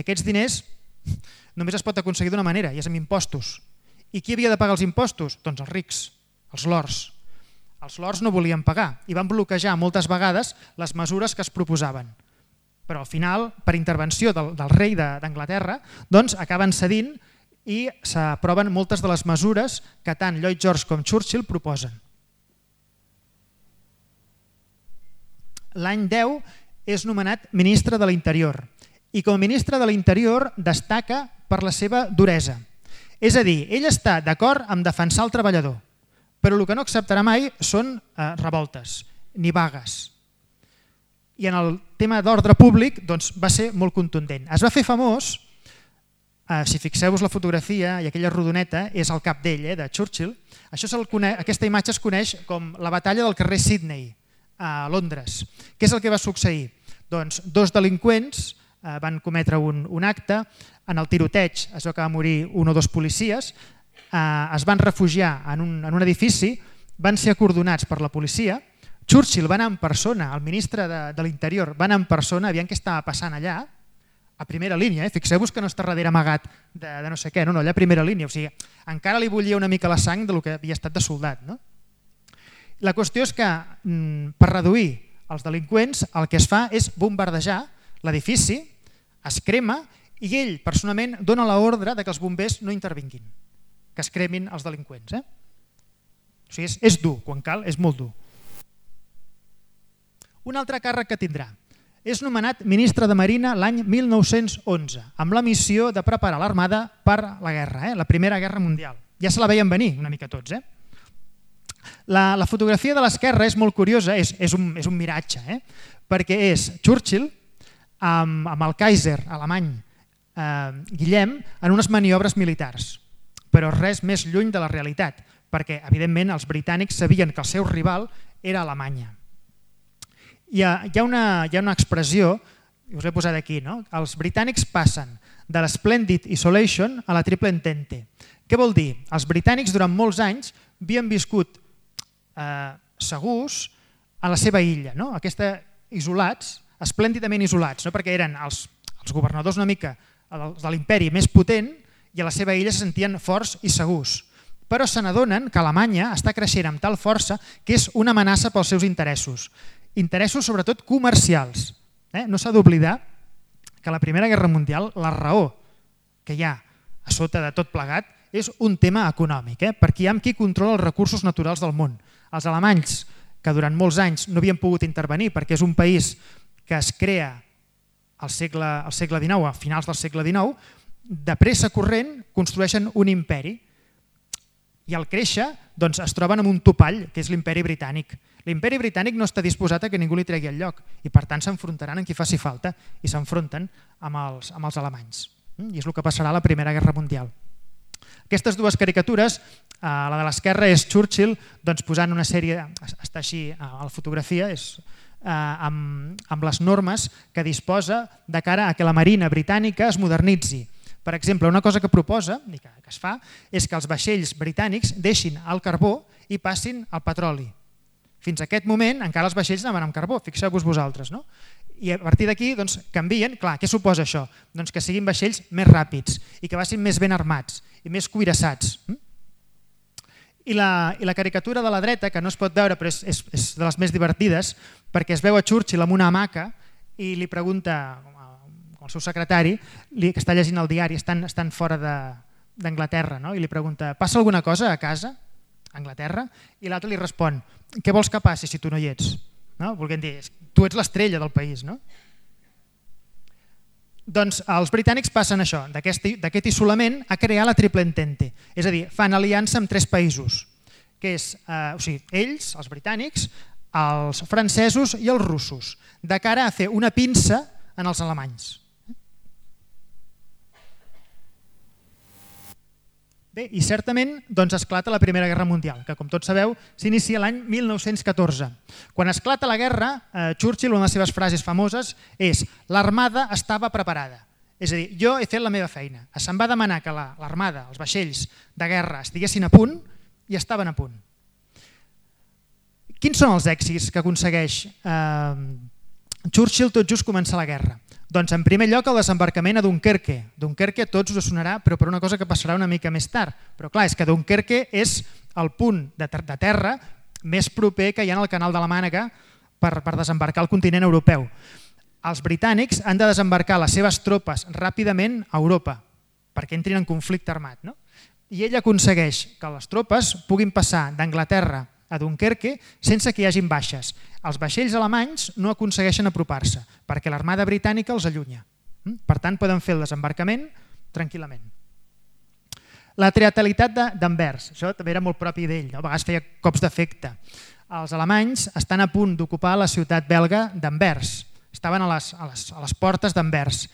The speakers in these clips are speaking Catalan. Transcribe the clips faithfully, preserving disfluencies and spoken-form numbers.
Aquests diners només es pot aconseguir d'una manera, i és amb impostos. I qui havia de pagar els impostos? Doncs els rics, els lords. Els lords no volien pagar i van bloquejar moltes vegades les mesures que es proposaven. Però al final, per intervenció del, del rei d'Anglaterra, doncs acaben cedint i s'aproven moltes de les mesures que tant Lloyd George com Churchill proposen. L'any deu és nomenat ministre de l'Interior i com a ministre de l'Interior destaca per la seva duresa. És a dir, ell està d'acord amb defensar el treballador, però el que no acceptarà mai són eh, revoltes ni vagues. I en el tema d'ordre públic doncs, va ser molt contundent. Es va fer famós, eh, si fixeu-vos la fotografia i aquella rodoneta és el cap d'ell, eh, de Churchill. Això coneix, aquesta imatge es coneix com la batalla del carrer Sydney, a Londres. Què és el que va succeir? Doncs dos delinqüents eh, van cometre un, un acte, en el tiroteig es veu que va morir un o dos policies, eh, es van refugiar en un, en un edifici, van ser acordonats per la policia, Churchill va anar en persona, el ministre de, de l'Interior va anar en persona, aviam què estava passant allà, a primera línia, eh? Fixeu-vos que no està darrere amagat de, de no sé què, no, no, allà a primera línia, o sigui, encara li bullia una mica la sang del que havia estat de soldat, no? La qüestió és que per reduir els delinqüents el que es fa és bombardejar l'edifici, es crema i ell personalment dona l'ordre que els bombers no intervinguin, que es cremin els delinqüents. Eh? O sigui, és, és dur, quan cal és molt dur. Un altre càrrec que tindrà. És nomenat ministre de Marina l'any mil nou-cents onze, amb la missió de preparar l'armada per la guerra, eh? La Primera Guerra Mundial. Ja se la veien venir una mica tots, eh? La, la fotografia de l'esquerra és molt curiosa, és, és, un, és un miratge, eh? Perquè és Churchill amb, amb el Kaiser alemany eh, Guillem en unes maniobres militars, però res més lluny de la realitat, perquè evidentment els britànics sabien que el seu rival era Alemanya. Hi ha, hi ha, una, hi ha una expressió, us he posat aquí, no? Els britànics passen de l'Splendid Isolation a la Triple Entente. Què vol dir? Els britànics durant molts anys havien viscut Eh, segurs a la seva illa, no? Aquesta isolats, esplèndidament isolats, no? Perquè eren els, els governadors una mica de l'imperi més potent i a la seva illa se sentien forts i segurs. Però se n'adonen que Alemanya està creixent amb tal força que és una amenaça pels seus interessos. Interessos sobretot comercials. Eh? No s'ha d'oblidar que a la Primera Guerra Mundial la raó que hi ha a sota de tot plegat és un tema econòmic, eh? Perquè hi ha qui controla els recursos naturals del món. Els alemanys, que durant molts anys no havien pogut intervenir perquè és un país que es crea al segle, al segle dinou, a finals del segle dinou, de pressa corrent construeixen un imperi i al créixer doncs, es troben amb un topall, que és l'imperi britànic. L'imperi britànic no està disposat a que ningú li tregui el lloc i per tant s'enfrontaran amb qui faci falta i s'enfronten amb els, amb els alemanys. I és el que passarà a la Primera Guerra Mundial. Aquestes dues caricatures, la de l'esquerra és Churchill doncs, posant una sèrie, està així a la fotografia, és, eh, amb, amb les normes que disposa de cara a que la marina britànica es modernitzi. Per exemple, una cosa que proposa, i que, que es fa, és que els vaixells britànics deixin el carbó i passin al petroli. Fins a aquest moment encara els vaixells anaven amb carbó, fixeu-vos vosaltres, no? I a partir d'aquí doncs, canvien. Clar, què suposa això? Doncs que siguin vaixells més ràpids i que vagin més ben armats i més cuirassats. I la, i la caricatura de la dreta, que no es pot veure però és, és, és de les més divertides, perquè es veu a Churchill amb una hamaca i li pregunta al seu secretari, li, que està llegint el diari, estan, estan fora d'Anglaterra, no? I li pregunta, passa alguna cosa a casa, a Anglaterra? I l'altre li respon, què vols que passi si tu no hi ets? No? Volguem dir, tu ets l'estrella del país, no? Doncs els britànics passen això, d'aquest isolament a crear la Triple Entente, és a dir, fan aliança amb tres països, que és, eh, o sigui, ells, els britànics, els francesos i els russos, de cara a fer una pinça en els alemanys. Bé, i certament doncs, esclata la Primera Guerra Mundial, que com tots sabeu s'inicia l'any mil nou-cents catorze. Quan esclata la guerra, eh, Churchill, una de les seves frases famoses és l'armada estava preparada. És a dir, jo he fet la meva feina. Se'm va demanar que l'armada, els vaixells de guerra estiguessin a punt i estaven a punt. Quins són els èxits que aconsegueix eh, Churchill tot just començar la guerra? Doncs en primer lloc el desembarcament a Dunkerque. Dunkerque a tots us sonarà, però per una cosa que passarà una mica més tard. Però clar, és que Dunkerque és el punt de terra més proper que hi ha en el canal de la Mànega per, per desembarcar al continent europeu. Els britànics han de desembarcar les seves tropes ràpidament a Europa perquè entrin en conflicte armat. No? I ell aconsegueix que les tropes puguin passar d'Anglaterra a Dunkerque sense que hi hagin baixes. Els vaixells alemanys no aconsegueixen apropar-se perquè l'armada britànica els allunya. Per tant, poden fer el desembarcament tranquil·lament. La teatralitat d'Anvers, això també era molt propi d'ell, no? A vegades feia cops d'efecte. Els alemanys estan a punt d'ocupar la ciutat belga d'Anvers, estaven a les, a les, a les portes d'Anvers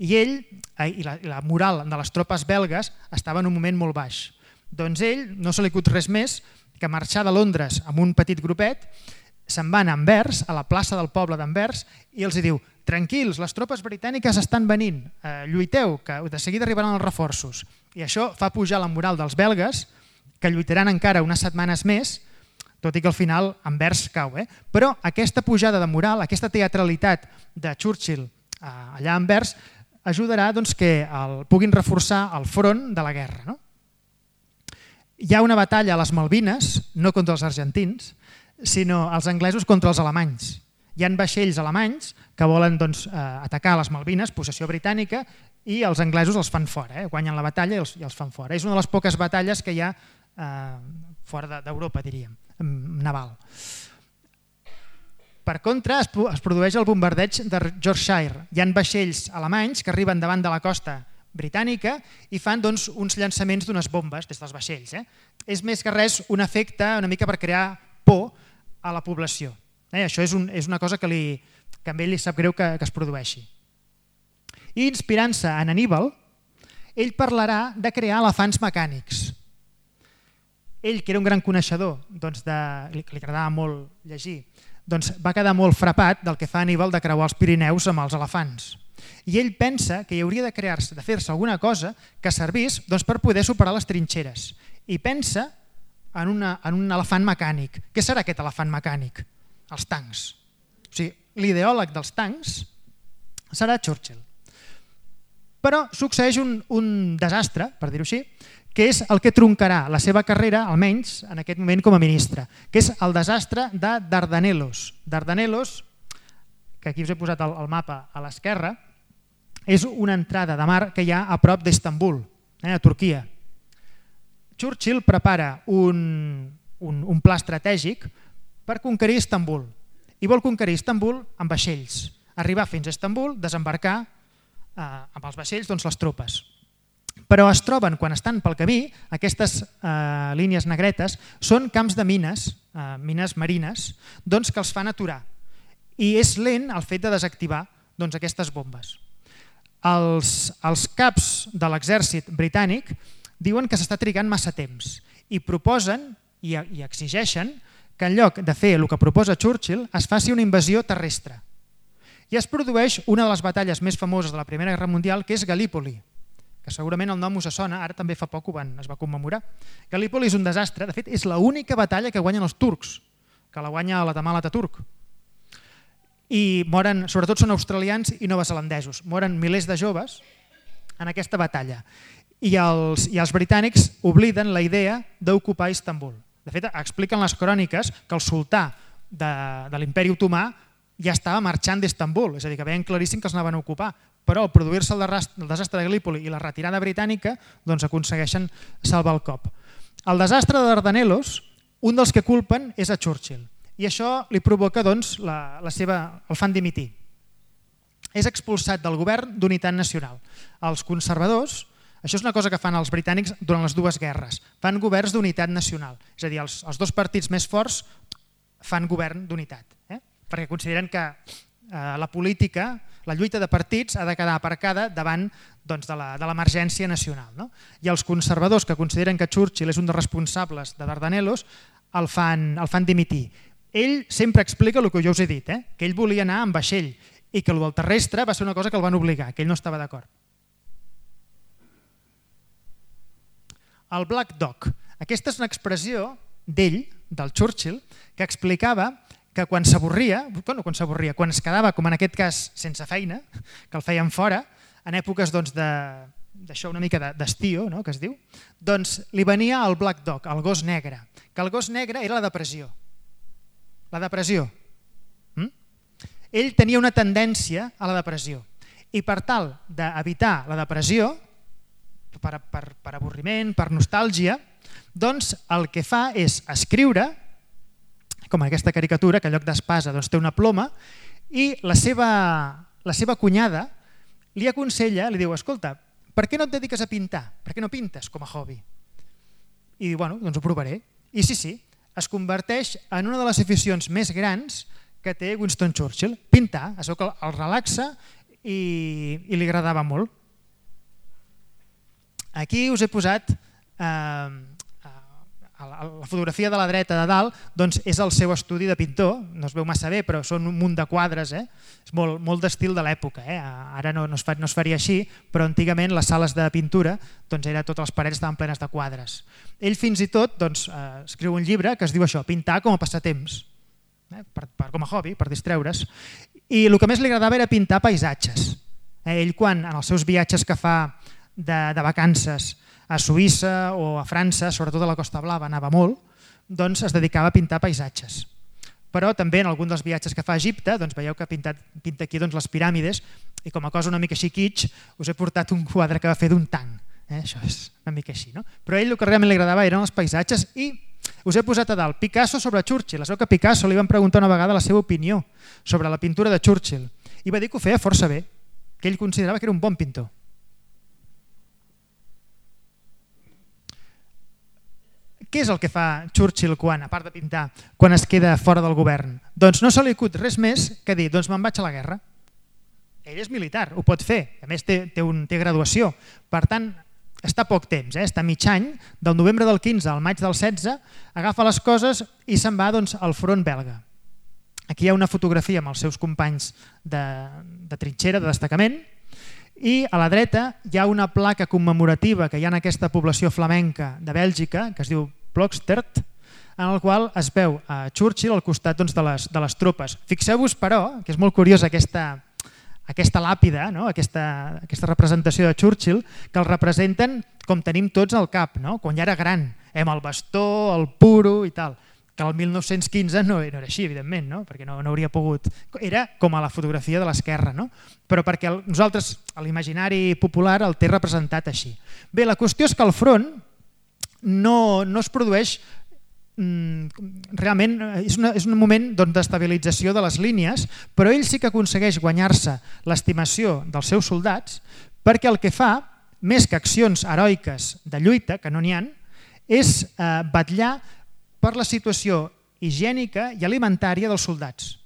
i ell i la, i la moral de les tropes belgues estava en un moment molt baix. Doncs ell no se li acut res més que marxar de Londres amb un petit grupet, se'n van a Anvers, a la plaça del poble d'Anvers, i els diu: tranquils, les tropes britàniques estan venint, eh, lluiteu, que de seguida arribaran els reforços. I això fa pujar la moral dels belgues, que lluitaran encara unes setmanes més, tot i que al final Anvers cau. Eh? Però aquesta pujada de moral, aquesta teatralitat de Churchill eh, allà a Anvers, ajudarà doncs, que el, puguin reforçar el front de la guerra. No? Hi ha una batalla a les Malvines, no contra els argentins, sinó els anglesos contra els alemanys. Hi ha vaixells alemanys que volen doncs, eh, atacar les Malvines, possessió britànica, i els anglesos els fan fora, eh? Guanyen la batalla i els, i els fan fora. És una de les poques batalles que hi ha eh, fora d'Europa, diríem, naval. Per contra, es, es produeix el bombardeig de Yorkshire. Hi ha vaixells alemanys que arriben davant de la costa britànica i fan doncs, uns llançaments d'unes bombes des dels vaixells. Eh? És més que res un efecte una mica per crear por a la població. Eh? Això és, un, és una cosa que, li, que a ell li sap greu que, que es produeixi. I inspirant-se en Anníbal, ell parlarà de crear elefants mecànics. Ell, que era un gran coneixedor, doncs de, li, li agradava molt llegir, doncs va quedar molt frapat del que fa Anníbal de creuar els Pirineus amb els elefants. I ell pensa que hi hauria de crear-se, de fer-se alguna cosa que servís doncs, per poder superar les trinxeres. I pensa en, una, en un elefant mecànic. Què serà aquest elefant mecànic? Els tancs. O sigui, l'ideòleg dels tancs serà Churchill. Però succeeix un, un desastre, per dir-ho així, que és el que troncarà la seva carrera, almenys en aquest moment com a ministre, que és el desastre de Dardanelos. Dardanelos, que aquí us he posat el, el mapa a l'esquerra, és una entrada de mar que hi ha a prop d'Istanbul, eh, a Turquia. Churchill prepara un, un, un pla estratègic per conquerir Istanbul i vol conquerir Istanbul amb vaixells, arribar fins a Istanbul, desembarcar eh, amb els vaixells doncs, les tropes. Però es troben, quan estan pel camí, aquestes eh, línies negretes són camps de mines, eh, mines marines, doncs, que els fan aturar. I és lent el fet de desactivar doncs, aquestes bombes. Els, els caps de l'exèrcit britànic diuen que s'està trigant massa temps i proposen i, i exigeixen que en lloc de fer el que proposa Churchill es faci una invasió terrestre. I es produeix una de les batalles més famoses de la Primera Guerra Mundial, que és Gallipoli, que segurament el nom us sona, ara també fa poc ho van, es va commemorar. Gallipoli és un desastre, de fet és l'única batalla que guanyen els turcs, que la guanya la Kemal Atatürk. I moren, sobretot són australians i neozelandesos, moren milers de joves en aquesta batalla. I els, i els britànics obliden la idea d'ocupar Istanbul. De fet, expliquen les cròniques que el sultà de, de l'imperi otomà ja estava marxant d'Istanbul, és a dir, que veien claríssim que els anaven a ocupar, però al produir-se el, el desastre de Gallipoli i la retirada britànica doncs aconsegueixen salvar el cop. El desastre de Dardanelos, un dels que culpen és a Churchill. I això li provoca doncs, la, la seva, el fan dimitir. És expulsat del govern d'unitat nacional. Els conservadors, això és una cosa que fan els britànics durant les dues guerres, fan governs d'unitat nacional. És a dir, els, els dos partits més forts fan govern d'unitat, eh? Perquè consideren que eh, la política, la lluita de partits ha de quedar aparcada davant doncs, de l'emergència nacional. No? I els conservadors, que consideren que Churchill és un dels responsables de Dardanelos, el fan, el fan dimitir. Ell sempre explica el que jo us he dit, eh? Que ell volia anar amb vaixell i que el del terrestre va ser una cosa que el van obligar, que ell no estava d'acord. El Black Dog. Aquesta és una expressió d'ell, del Churchill, que explicava que quan s'avorria, bueno, quan s'avorria, quan es quedava, com en aquest cas, sense feina, que el feien fora, en èpoques doncs, de d'això una mica d'estiu, no, que es diu, doncs li venia el Black Dog, el gos negre, que el gos negre era la depressió. La depressió. Mm? Ell tenia una tendència a la depressió i per tal d'evitar la depressió, per, per, per avorriment, per nostàlgia, doncs el que fa és escriure, com aquesta caricatura, que en lloc d'espasa doncs, té una ploma, i la seva, la seva cunyada li aconsella, li diu, escolta, per què no et dediques a pintar? Per què no pintes com a hobby? I diu, bueno, doncs ho provaré. I sí, sí, es converteix en una de les aficions més grans que té Winston Churchill. Pintar, això que el relaxa i, i li agradava molt. Aquí us he posat eh, la fotografia de la dreta de dalt, doncs és el seu estudi de pintor, no es veu massa bé, però són un munt de quadres, eh? És molt, molt d'estil de l'època. Eh? Ara no, no, es fa, no es faria així, però antigament les sales de pintura, doncs era, totes les parets estaven plenes de quadres. Ell fins i tot doncs, eh, escriu un llibre que es diu això, pintar com a passatemps, eh? per, per, com a hobby, per distreure's, i el que més li agradava era pintar paisatges. Eh? Ell quan en els seus viatges que fa de, de vacances a Suïssa o a França, sobretot a la Costa Blava, anava molt, doncs es dedicava a pintar paisatges. Però també en algun dels viatges que fa a Egipte, doncs veieu que ha pintat, pinta aquí doncs, les piràmides, i com a cosa una mica així kitsch, us he portat un quadre que va fer d'un tanc. Eh? Això és una mica així. No? Però a ell el que realment li agradava eren els paisatges i us he posat a dalt Picasso sobre Churchill. Es veu que a Picasso li van preguntar una vegada la seva opinió sobre la pintura de Churchill i va dir que ho feia força bé, que ell considerava que era un bon pintor. Què és el que fa Churchill quan, a part de pintar, quan es queda fora del govern? Doncs no se li acut res més que dir, doncs me'n vaig a la guerra. Ell és militar, ho pot fer, a més té, té, un, té graduació. Per tant, està poc temps, eh? Està mig any, del novembre del quinze al maig del setze, agafa les coses i se'n va doncs, al front belga. Aquí hi ha una fotografia amb els seus companys de, de trinxera, de destacament, i a la dreta hi ha una placa commemorativa que hi ha en aquesta població flamenca de Bèlgica, que es diu Ploegstert, en el qual es veu a Churchill al costat doncs, de, les, de les tropes. Fixeu-vos, però, que és molt curiosa aquesta, aquesta làpida, no? aquesta, aquesta representació de Churchill, que el representen com tenim tots al cap, no? Quan ja era gran, eh? Amb el bastó, el puro i tal, que el mil nou-cents quinze no, no era així, evidentment, no? Perquè no, no hauria pogut... Era com a la fotografia de l'esquerra, no? Però perquè el, nosaltres, a l'imaginari popular, el té representat així. Bé, la qüestió és que al front no, no es produeix realment, és, una, és un moment doncs, d'estabilització de les línies, però ell sí que aconsegueix guanyar-se l'estimació dels seus soldats perquè el que fa, més que accions heroiques de lluita, que no n'hi ha, és eh, batllar per la situació higiènica i alimentària dels soldats.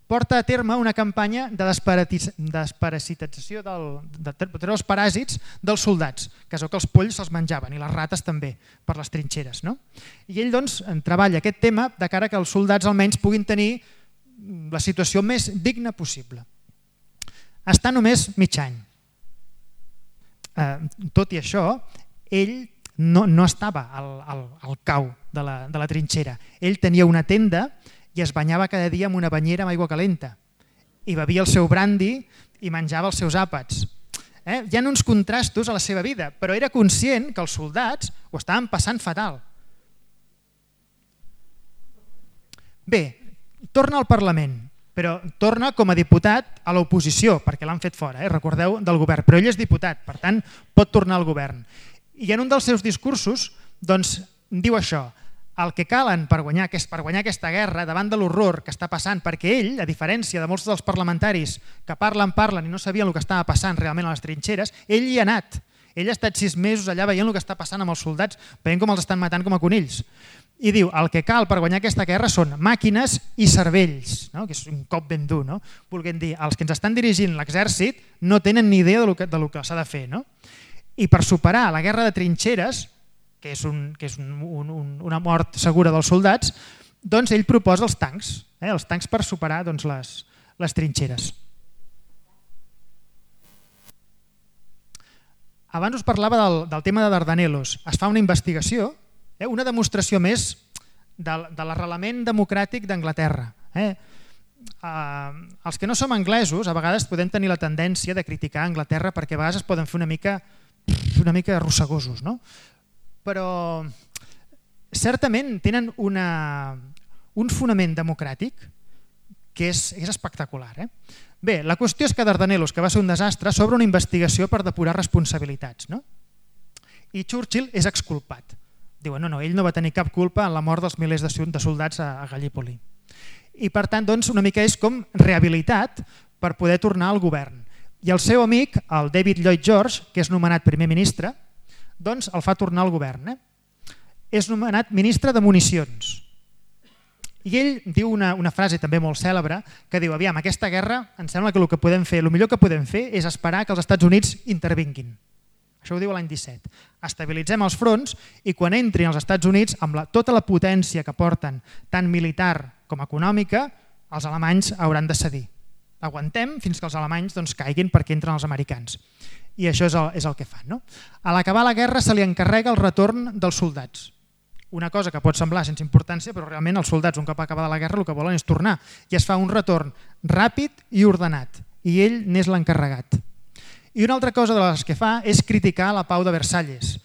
Porta a terme una campanya de desparasitització del, de treure els paràsits dels soldats, que és el que els polls se'ls menjaven i les rates també per les trinxeres. No? I ell doncs, treballa aquest tema de cara que els soldats almenys puguin tenir la situació més digna possible. Està només mig any. Eh, tot i això, ell no, no estava al, al, al cau de la, de la trinxera. Ell tenia una tenda i es banyava cada dia amb una banyera amb aigua calenta i bevia el seu brandi i menjava els seus àpats. Eh? Hi ha uns contrastos a la seva vida, però era conscient que els soldats ho estaven passant fatal. Bé, torna al Parlament, però torna com a diputat a l'oposició, perquè l'han fet fora, eh? Recordeu, del govern, però ell és diputat, per tant pot tornar al govern. I en un dels seus discursos doncs, diu això: el que calen per guanyar, per guanyar aquesta guerra davant de l'horror que està passant, perquè ell, a diferència de molts dels parlamentaris que parlen, parlen i no sabien el que estava passant realment a les trinxeres, ell hi ha anat. Ell ha estat sis mesos allà veient el que està passant amb els soldats, veient com els estan matant com a conills. I diu, el que cal per guanyar aquesta guerra són màquines i cervells, no? Que és un cop ben dur, no? Volguem dir, els que ens estan dirigint l'exèrcit no tenen ni idea del que, del que s'ha de fer. No? I per superar la guerra de trinxeres, que és, un, que és un, un, una mort segura dels soldats, doncs ell proposa els tancs, eh? els tancs per superar doncs, les, les trinxeres. Abans us parlava del, del tema de Dardanelos. Es fa una investigació, eh? una demostració més de, de l'arrelament democràtic d'Anglaterra. Eh? Uh, els que no som anglesos a vegades podem tenir la tendència de criticar Anglaterra perquè a vegades es poden fer una mica, una mica arrossegosos, no? Però certament tenen una, un fonament democràtic que és, és espectacular. Eh? Bé, la qüestió és que Dardanelos, que va ser un desastre, s'obre una investigació per depurar responsabilitats. No? I Churchill és exculpat. Diuen, no, no, ell no va tenir cap culpa en la mort dels milers de soldats a Gallipoli. I per tant, doncs, una mica és com rehabilitat per poder tornar al govern. I el seu amic, el David Lloyd George, que és nomenat primer ministre, doncs el fa tornar al govern. Eh? És nomenat ministre de municions. I ell diu una, una frase també molt cèlebre que diu, aviam, aquesta guerra em sembla que el que podem fer, el millor que podem fer és esperar que els Estats Units intervinguin. Això ho diu l'any disset. Estabilitzem els fronts i quan entrin els Estats Units, amb la, tota la potència que porten, tant militar com econòmica, els alemanys hauran de cedir. Aguantem fins que els alemanys doncs, caiguin perquè entren els americans. I això és el, és el que fan. No? A l'acabar la guerra se li encarrega el retorn dels soldats. Una cosa que pot semblar sense importància, però realment els soldats, un cop acabada la guerra, el que volen és tornar. I es fa un retorn ràpid i ordenat. I ell n'és l'encarregat. I una altra cosa de les que fa és criticar la pau de Versalles.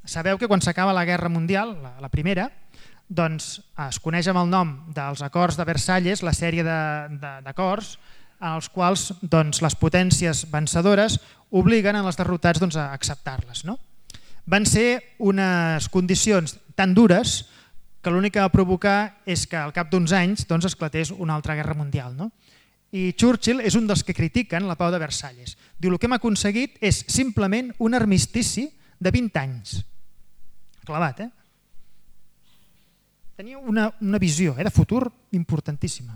Sabeu que quan s'acaba la Guerra Mundial, la, la primera, doncs es coneix amb el nom dels acords de Versalles, la sèrie d'acords en els quals doncs, les potències vencedores obliguen a les derrotats doncs, a acceptar-les. No? Van ser unes condicions tan dures que l'únic que va provocar és que al cap d'uns anys doncs, esclatés una altra guerra mundial. No? I Churchill és un dels que critiquen la pau de Versalles. Diu, el que hem aconseguit és simplement un armistici de vint anys. Clavat, eh? Tenia una, una visió eh, de futur importantíssima.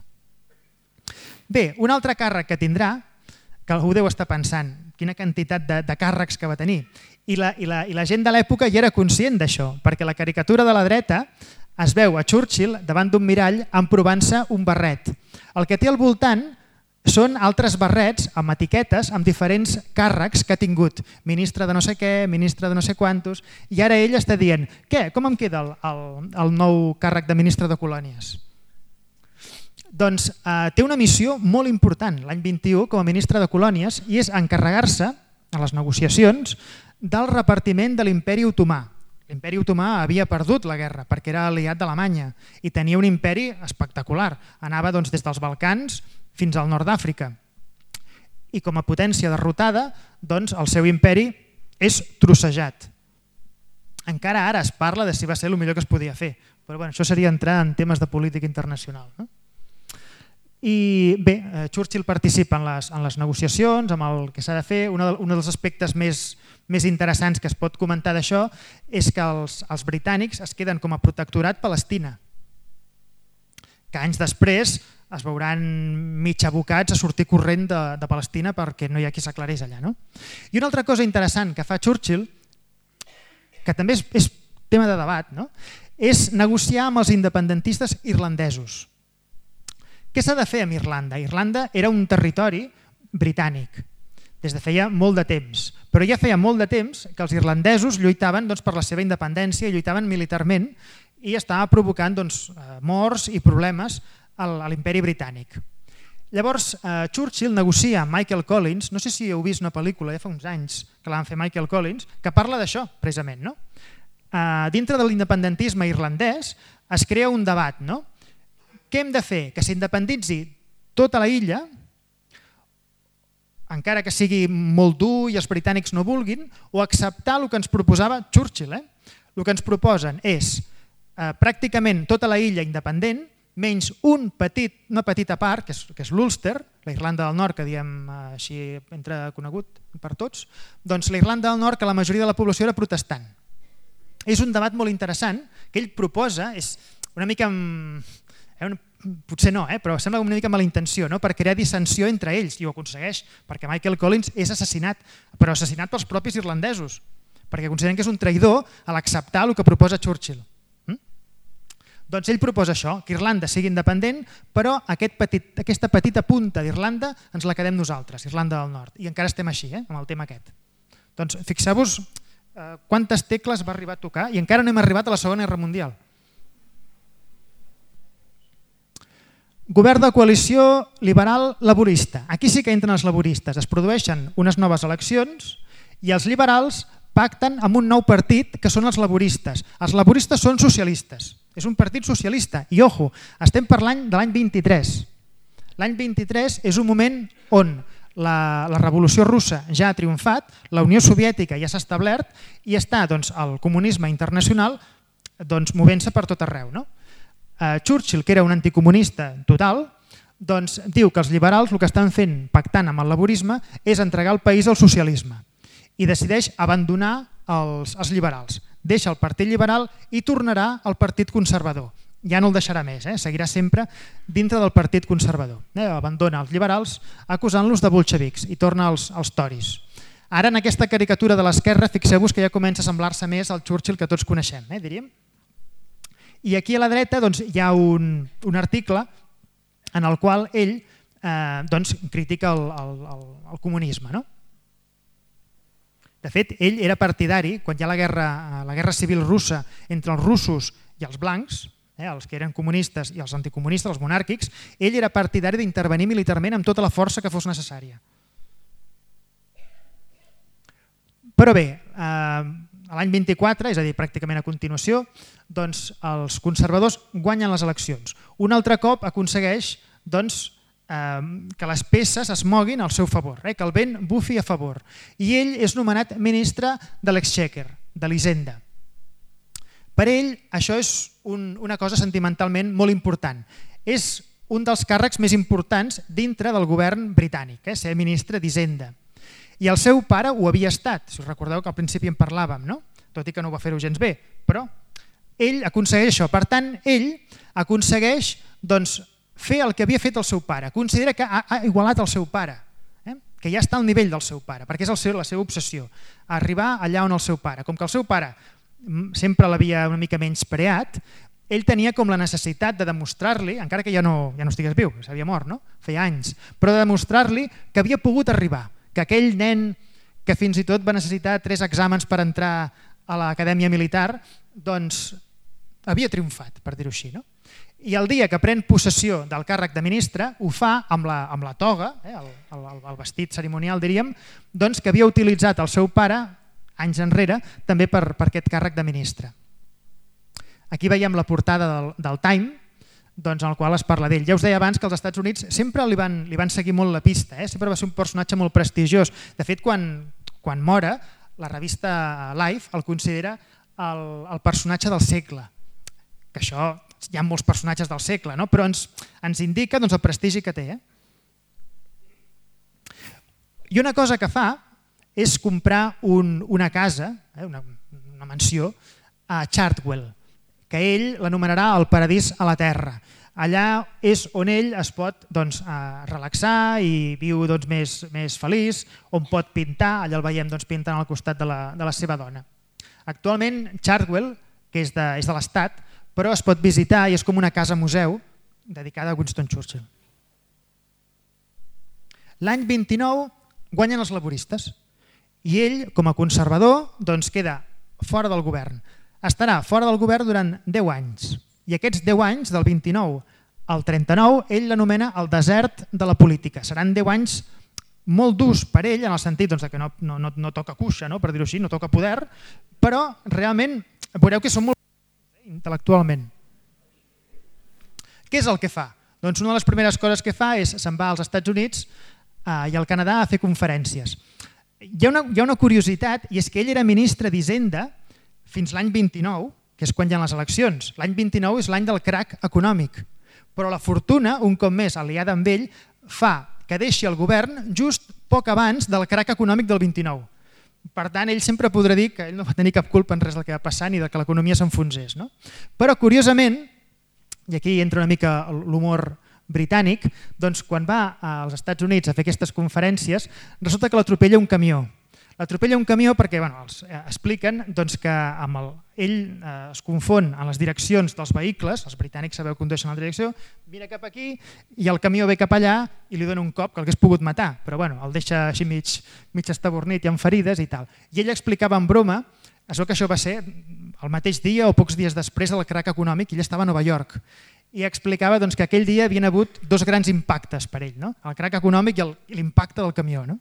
Bé, un altre càrrec que tindrà, que algú deu estar pensant, quina quantitat de, de càrrecs que va tenir, i la, i la, i la gent de l'època ja era conscient d'això, perquè la caricatura de la dreta es veu a Churchill davant d'un mirall emprovant-se un barret. El que té al voltant són altres barrets amb etiquetes amb diferents càrrecs que ha tingut. Ministre de no sé què, ministre de no sé quantos, i ara ell està dient, què, com em queda el, el, el nou càrrec de ministre de colònies? Doncs eh, té una missió molt important l'any vint-i-u com a ministre de colònies i és encarregar-se a les negociacions del repartiment de l'imperi otomà. L'imperi otomà havia perdut la guerra perquè era aliat d'Alemanya i tenia un imperi espectacular. Anava doncs, des dels Balcans fins al nord d'Àfrica. I com a potència derrotada, doncs, el seu imperi és trossejat. Encara ara es parla de si va ser el millor que es podia fer, però bueno, això seria entrar en temes de política internacional. No? I bé, Churchill participa en les, en les negociacions, amb el que s'ha de fer. Un, un dels aspectes més, més interessants que es pot comentar d'això és que els, els britànics es queden com a protectorat Palestina, que anys després es veuran mig abocats a sortir corrent de, de Palestina perquè no hi ha qui s'aclareix allà. No? I una altra cosa interessant que fa Churchill, que també és, és tema de debat, no? És negociar amb els independentistes irlandesos. Què s'ha de fer amb Irlanda? Irlanda era un territori britànic des de feia molt de temps, però ja feia molt de temps que els irlandesos lluitaven doncs, per la seva independència, lluitaven militarment i estava provocant doncs, morts i problemes a l'imperi britànic. Llavors, eh, Churchill negocia amb Michael Collins, no sé si heu vist una pel·lícula, ja fa uns anys que la van fer Michael Collins, que parla d'això, precisament. No? Eh, dintre de l'independentisme irlandès es crea un debat, no? Què hem de fer? Que s'independitzi tota la illa, encara que sigui molt dur i els britànics no vulguin, o acceptar el que ens proposava Churchill. Eh? El que ens proposen és eh, pràcticament tota la illa independent, menys un petit, una petita part, que és, que és l'Ulster, la Irlanda del Nord, que diem eh, així entre conegut per tots, doncs la Irlanda del Nord, que la majoria de la població era protestant. És un debat molt interessant que ell proposa, és una mica... Potser no, eh? Però sembla una mica mala intenció, no? Per crear dissensió entre ells, i ho aconsegueix, perquè Michael Collins és assassinat, però assassinat pels propis irlandesos, perquè consideren que és un traïdor a l'acceptar el que proposa Churchill. Mm? Doncs ell proposa això, que Irlanda sigui independent, però aquest petit, aquesta petita punta d'Irlanda ens la quedem nosaltres, Irlanda del Nord, i encara estem així, eh? Amb el tema aquest. Doncs fixeu-vos eh, quantes tecles va arribar a tocar i encara no hem arribat a la Segona Guerra Mundial. Govern de coalició liberal-laborista. Aquí sí que entren els laboristes. Es produeixen unes noves eleccions i els liberals pacten amb un nou partit que són els laboristes. Els laboristes són socialistes. És un partit socialista. I, ojo, estem parlant de l'any vint-i-tres. L'any vint-i-tres és un moment on la, la revolució russa ja ha triomfat, la Unió Soviètica ja s'ha establert i està doncs, el comunisme internacional doncs, movent-se per tot arreu. No? Uh, Churchill, que era un anticomunista total, doncs, diu que els liberals el que estan fent pactant amb el laborisme és entregar el país al socialisme i decideix abandonar els, els liberals. Deixa el Partit Liberal i tornarà al Partit Conservador. Ja no el deixarà més, eh? Seguirà sempre dintre del Partit Conservador. Eh? Abandona els liberals acusant-los de bolxevics i torna als, als toris. Ara en aquesta caricatura de l'esquerra fixeu-vos que ja comença a semblar-se més al Churchill que tots coneixem, eh? diríem. I aquí a la dreta doncs, hi ha un, un article en el qual ell eh, doncs, critica el, el, el, el comunisme. No? De fet, ell era partidari, quan hi ha la guerra, la guerra civil russa entre els russos i els blancs, eh, els que eren comunistes i els anticomunistes, els monàrquics, ell era partidari d'intervenir militarment amb tota la força que fos necessària. Però bé, eh, l'any vint-i-quatre, és a dir, pràcticament a continuació, doncs, els conservadors guanyen les eleccions. Un altre cop aconsegueix doncs, que les peces es moguin al seu favor, eh? que el vent bufi a favor. I ell és nomenat ministre de l'Exchequer, de l'Hisenda. Per ell això és un, una cosa sentimentalment molt important. És un dels càrrecs més importants dintre del govern britànic, eh? ser ministre d'Hisenda. I el seu pare ho havia estat, si us recordeu que al principi en parlàvem, no? Tot i que no ho va fer-ho gens bé, però ell aconsegueix això. Per tant, ell aconsegueix doncs, fer el que havia fet el seu pare. Considera que ha, ha igualat el seu pare, eh? que ja està al nivell del seu pare, perquè és el seu, la seva obsessió, arribar allà on el seu pare. Com que el seu pare sempre l'havia una mica menyspreat, ell tenia com la necessitat de demostrar-li, encara que ja no, ja no estigués viu, s'havia mort, no? feia anys, però de demostrar-li que havia pogut arribar, que aquell nen que fins i tot va necessitar tres exàmens per entrar a l'acadèmia militar, doncs havia triomfat, per dir-ho així. No? I el dia que pren possessió del càrrec de ministre ho fa amb la, amb la toga, eh, el, el, el vestit cerimonial diríem, doncs, que havia utilitzat el seu pare anys enrere també per, per aquest càrrec de ministre. Aquí veiem la portada del, del Time, doncs, en el qual es parla d'ell. Ja us deia abans que els Estats Units sempre li van, li van seguir molt la pista, eh? sempre va ser un personatge molt prestigiós. De fet, quan, quan mora, la revista Life el considera el, el personatge del segle, que això hi ha molts personatges del segle, no? però ens, ens indica doncs, el prestigi que té. Eh? I una cosa que fa és comprar un, una casa, eh? una, una mansió, a Chartwell, que ell l'anomenarà el paradís a la terra. Allà és on ell es pot doncs, relaxar i viu doncs, més, més feliç, on pot pintar, allà el veiem doncs, pintant al costat de la, de la seva dona. Actualment Chartwell, que és de, és de l'Estat, però es pot visitar i és com una casa museu dedicada a Winston Churchill. L'any vint-i-nou guanyen els laboristes i ell, com a conservador, doncs queda fora del govern. Estarà fora del govern durant deu anys i aquests deu anys, del vint-i-nou al trenta-nou, ell l'anomena el desert de la política. Seran deu anys molt durs per ell en el sentit doncs, que no, no, no, no toca cuixa, no? per dir-ho així, no toca poder, però realment veureu que són molt intel·lectualment. Què és el que fa? Doncs una de les primeres coses que fa és se'n va als Estats Units eh, i al Canadà a fer conferències. Hi ha, una, hi ha una curiositat i és que ell era ministre d'Hisenda fins l'any vint-i-nou, que és quan hi ha les eleccions. L'any vint-i-nou és l'any del crac econòmic, però la fortuna, un cop més aliada amb ell, fa que deixi el govern just poc abans del crac econòmic del vint-i-nou. Per tant, ell sempre podrà dir que ell no va tenir cap culpa en res del que va passar ni de que l'economia s'enfonsés. No? Però, curiosament, i aquí entra una mica l'humor britànic, doncs quan va als Estats Units a fer aquestes conferències, resulta que l'atropella un camió. L'atropella un camió perquè bueno, els eh, expliquen doncs, que amb el, ell eh, es confon en les direccions dels vehicles, els britànics sabeu que condueixen la direcció, mira cap aquí i el camió ve cap allà i li dona un cop que l'hagués pogut matar, però bueno, el deixa així mig, mig estabornit i amb ferides i tal. I ell explicava en broma això que això va ser el mateix dia o pocs dies després del crac econòmic i ell estava a Nova York. i explicava doncs, que aquell dia havien hagut dos grans impactes per ell, no? El crac econòmic i l'impacte del camió. No?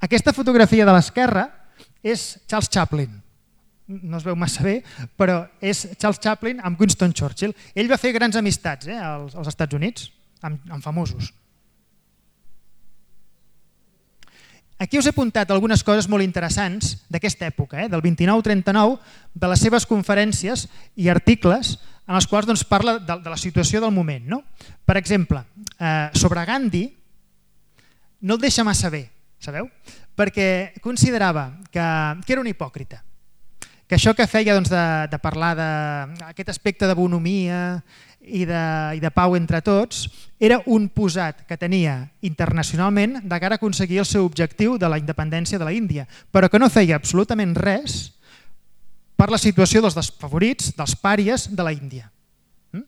Aquesta fotografia de l'esquerra és Charles Chaplin. No es veu massa bé, però és Charles Chaplin amb Winston Churchill. Ell va fer grans amistats eh, als, als Estats Units, amb, amb famosos. Aquí us he apuntat algunes coses molt interessants d'aquesta època, eh, del vint-i-nou trenta-nou, de les seves conferències i articles en els quals doncs, parla de, de la situació del moment. No? Per exemple, eh, sobre Gandhi no el deixa massa bé, sabeu? Perquè considerava que, que era un hipòcrita, que això que feia doncs, de, de parlar d'aquest aspecte de bonomia i de, i de pau entre tots era un posat que tenia internacionalment de cara a aconseguir el seu objectiu de la independència de la Índia, però que no feia absolutament res per la situació dels desfavorits, dels pàries de la Índia. Mm?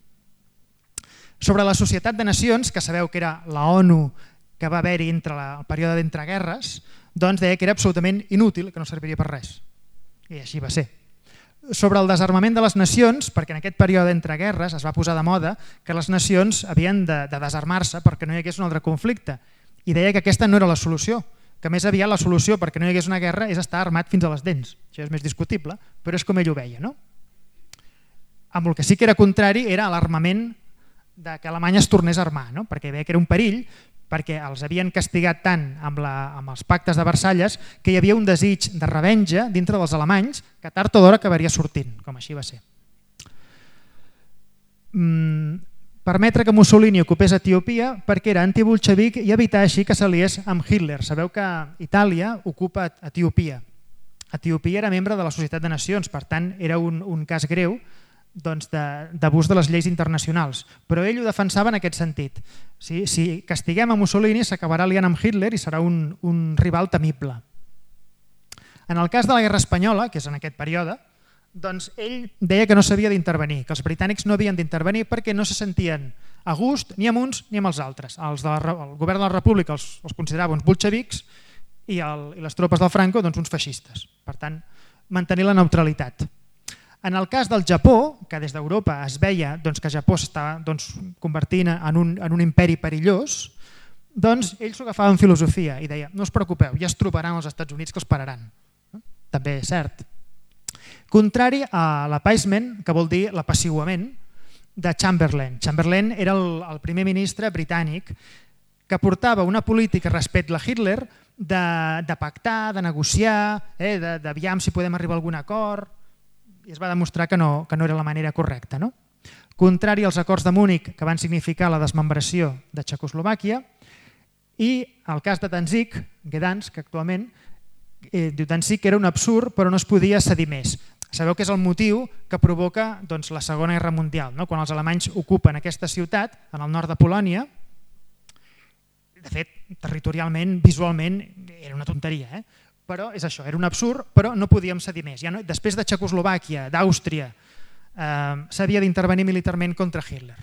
Sobre la Societat de Nacions, que sabeu que era la ONU que va haver-hi entre la, el període d'entreguerres, doncs deia que era absolutament inútil, que no serviria per res. I així va ser. Sobre el desarmament de les nacions, perquè en aquest període d'entreguerres es va posar de moda que les nacions havien de, de desarmar-se perquè no hi hagués un altre conflicte. I deia que aquesta no era la solució, que més aviat la solució perquè no hi hagués una guerra és estar armat fins a les dents. Això és més discutible, però és com ell ho veia. No? Amb el que sí que era contrari era l'armament de que Alemanya es tornés a armar, no? Perquè veia que era un perill, perquè els havien castigat tant amb, la, amb els pactes de Versalles que hi havia un desig de revenja dintre dels alemanys que tard o d'hora acabaria sortint, com així va ser. Mm, permetre que Mussolini ocupés Etiòpia perquè era antibolxevic i evitar així que s'aliés amb Hitler. Sabeu que Itàlia ocupa Etiòpia. Etiòpia era membre de la Societat de Nacions, per tant era un, un cas greu doncs d'abús de les lleis internacionals, però ell ho defensava en aquest sentit. Si, si castiguem a Mussolini s'acabarà aliant amb Hitler i serà un, un rival temible. En el cas de la Guerra Espanyola, que és en aquest període, doncs ell deia que no s'havia d'intervenir, que els britànics no havien d'intervenir perquè no se sentien a gust ni amb uns ni amb els altres. Els de la, el govern de la República els, els considerava uns bolxevics i, el, i les tropes del Franco doncs, uns feixistes. Per tant, mantenir la neutralitat. En el cas del Japó, que des d'Europa es veia doncs, que Japó s'estava doncs, convertint en un, en un imperi perillós, doncs ell s'ho agafava en filosofia i deia no us preocupeu, ja es trobaran els Estats Units que els pararan. També és cert. Contrari a l'appeasement, que vol dir l'apaciguament de Chamberlain. Chamberlain era el, el primer ministre britànic que portava una política respecte a Hitler de, de pactar, de negociar, eh, d'aviam si podem arribar a algun acord, i es va demostrar que no, que no era la manera correcta. No? Contrari als acords de Múnich, que van significar la desmembració de Txecoslovàquia, i el cas de Danzig, Gdansk, que actualment eh, diu Danzig era un absurd però no es podia cedir més. Sabeu que és el motiu que provoca doncs, la Segona Guerra Mundial, no? Quan els alemanys ocupen aquesta ciutat, en el nord de Polònia, de fet, territorialment, visualment, era una tonteria, eh? Però és això, era un absurd, però no podíem cedir més. Ja no, després de Txecoslovàquia, d'Àustria, eh, s'havia d'intervenir militarment contra Hitler.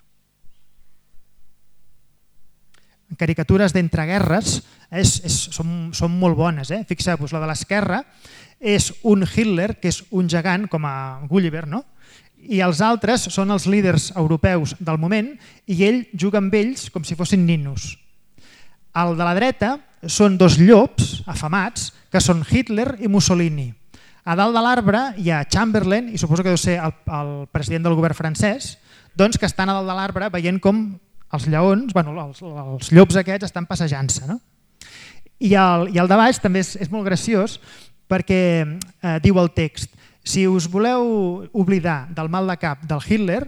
Caricatures d'entreguerres és, és, són, són molt bones. Eh? Fixeu-vos, la de l'esquerra és un Hitler, que és un gegant, com a Gulliver, no? I els altres són els líders europeus del moment i ell juga amb ells com si fossin ninos. El de la dreta són dos llops afamats que són Hitler i Mussolini. A dalt de l'arbre hi ha Chamberlain, i suposo que deu ser el, el president del govern francès, doncs que estan a dalt de l'arbre veient com els lleons, bueno, els, els llops aquests estan passejant-se. No? I, el, I el de baix també és, és molt graciós perquè eh, diu el text: si us voleu oblidar del mal de cap del Hitler,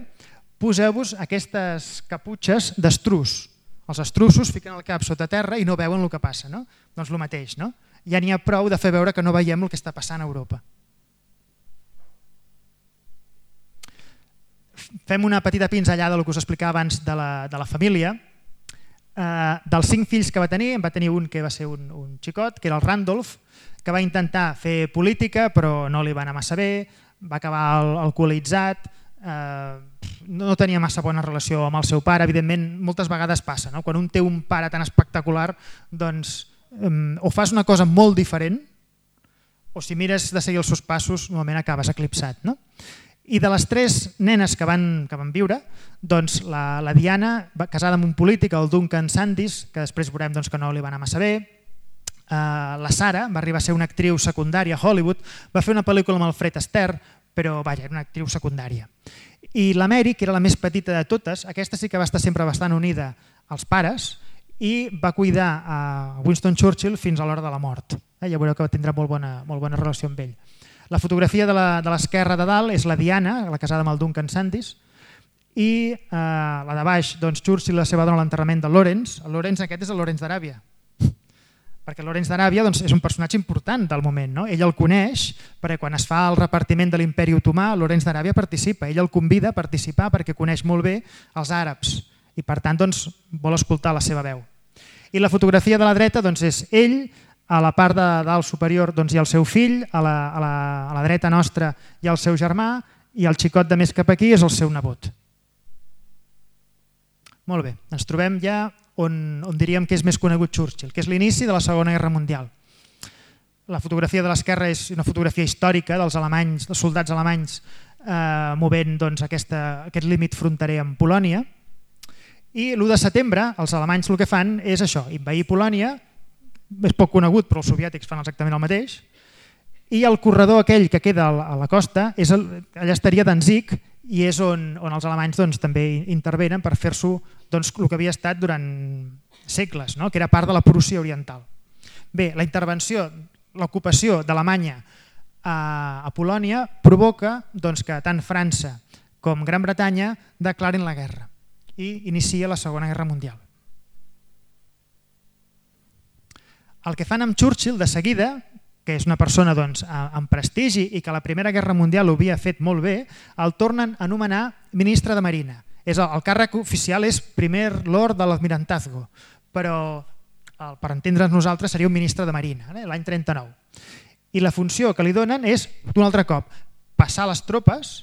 poseu-vos aquestes caputxes d'estrus. Els estrussos fiquen el cap sota terra i no veuen el que passa. No? Doncs el mateix. No? Ja n'hi ha prou de fer veure que no veiem el que està passant a Europa. Fem una petita pinzellada del que us explicava abans de la, de la família. Eh, dels cinc fills que va tenir, en va tenir un que va ser un, un xicot, que era el Randolph, que va intentar fer política però no li va anar massa bé, va acabar alcoholitzat, eh, no tenia massa bona relació amb el seu pare. Evidentment, moltes vegades passa, no? Quan un té un pare tan espectacular, doncs um, o fas una cosa molt diferent o si mires de seguir els seus passos normalment acabes eclipsat. No? I de les tres nenes que van, que van viure, doncs la, la Diana, casada amb un polític, el Duncan Sandys, que després veurem doncs, que no li va anar massa bé. Uh, la Sara va arribar a ser una actriu secundària a Hollywood, va fer una pel·lícula amb el Fred Astaire, però vaja, era una actriu secundària. I la Mary, que era la més petita de totes, aquesta sí que va estar sempre bastant unida als pares i va cuidar a Winston Churchill fins a l'hora de la mort. Eh, ja veureu que tindrà molt bona, molt bona relació amb ell. La fotografia de l'esquerra de, de dalt és la Diana, la casada amb el Duncan Sandys, i eh, la de baix, doncs, Churchill i la seva dona a l'enterrament de Lawrence. El Lawrence aquest és el Lawrence d'Aràbia, perquè Lawrence d'Aràbia doncs, és un personatge important del moment. No? Ell el coneix perquè quan es fa el repartiment de l'imperi otomà, Lawrence d'Aràbia participa. Ell el convida a participar perquè coneix molt bé els àrabs i per tant doncs, vol escoltar la seva veu. I la fotografia de la dreta doncs, és ell, a la part de dalt superior doncs, hi ha el seu fill, a la, a, la, a la dreta nostra hi ha el seu germà i el xicot de més cap aquí és el seu nebot. Molt bé, ens trobem ja on, on diríem que és més conegut Churchill, que és l'inici de la Segona Guerra Mundial. La fotografia de l'esquerra és una fotografia històrica dels alemanys, dels soldats alemanys eh, movent doncs, aquesta, aquest límit fronterer amb Polònia. I l'u de setembre els alemanys el que fan és això, invair Polònia, és poc conegut però els soviètics fan exactament el mateix, i el corredor aquell que queda a la costa, és el, allà estaria Danzig, i és on, on els alemanys doncs, també intervenen per fer-s'ho doncs, el que havia estat durant segles, no? Que era part de la Prússia oriental. Bé, la intervenció, l'ocupació d'Alemanya a, a Polònia provoca doncs, que tant França com Gran Bretanya declarin la guerra i inicia la Segona Guerra Mundial. El que fan amb Churchill de seguida, que és una persona doncs, amb prestigi i que a la Primera Guerra Mundial ho havia fet molt bé, el tornen a anomenar ministre de Marina. És el, el càrrec oficial és primer lord de l'Almirantazgo, però el, per entendre'ns nosaltres seria un ministre de Marina, eh, l'any trenta-nou. I la funció que li donen és, un altre cop, passar les tropes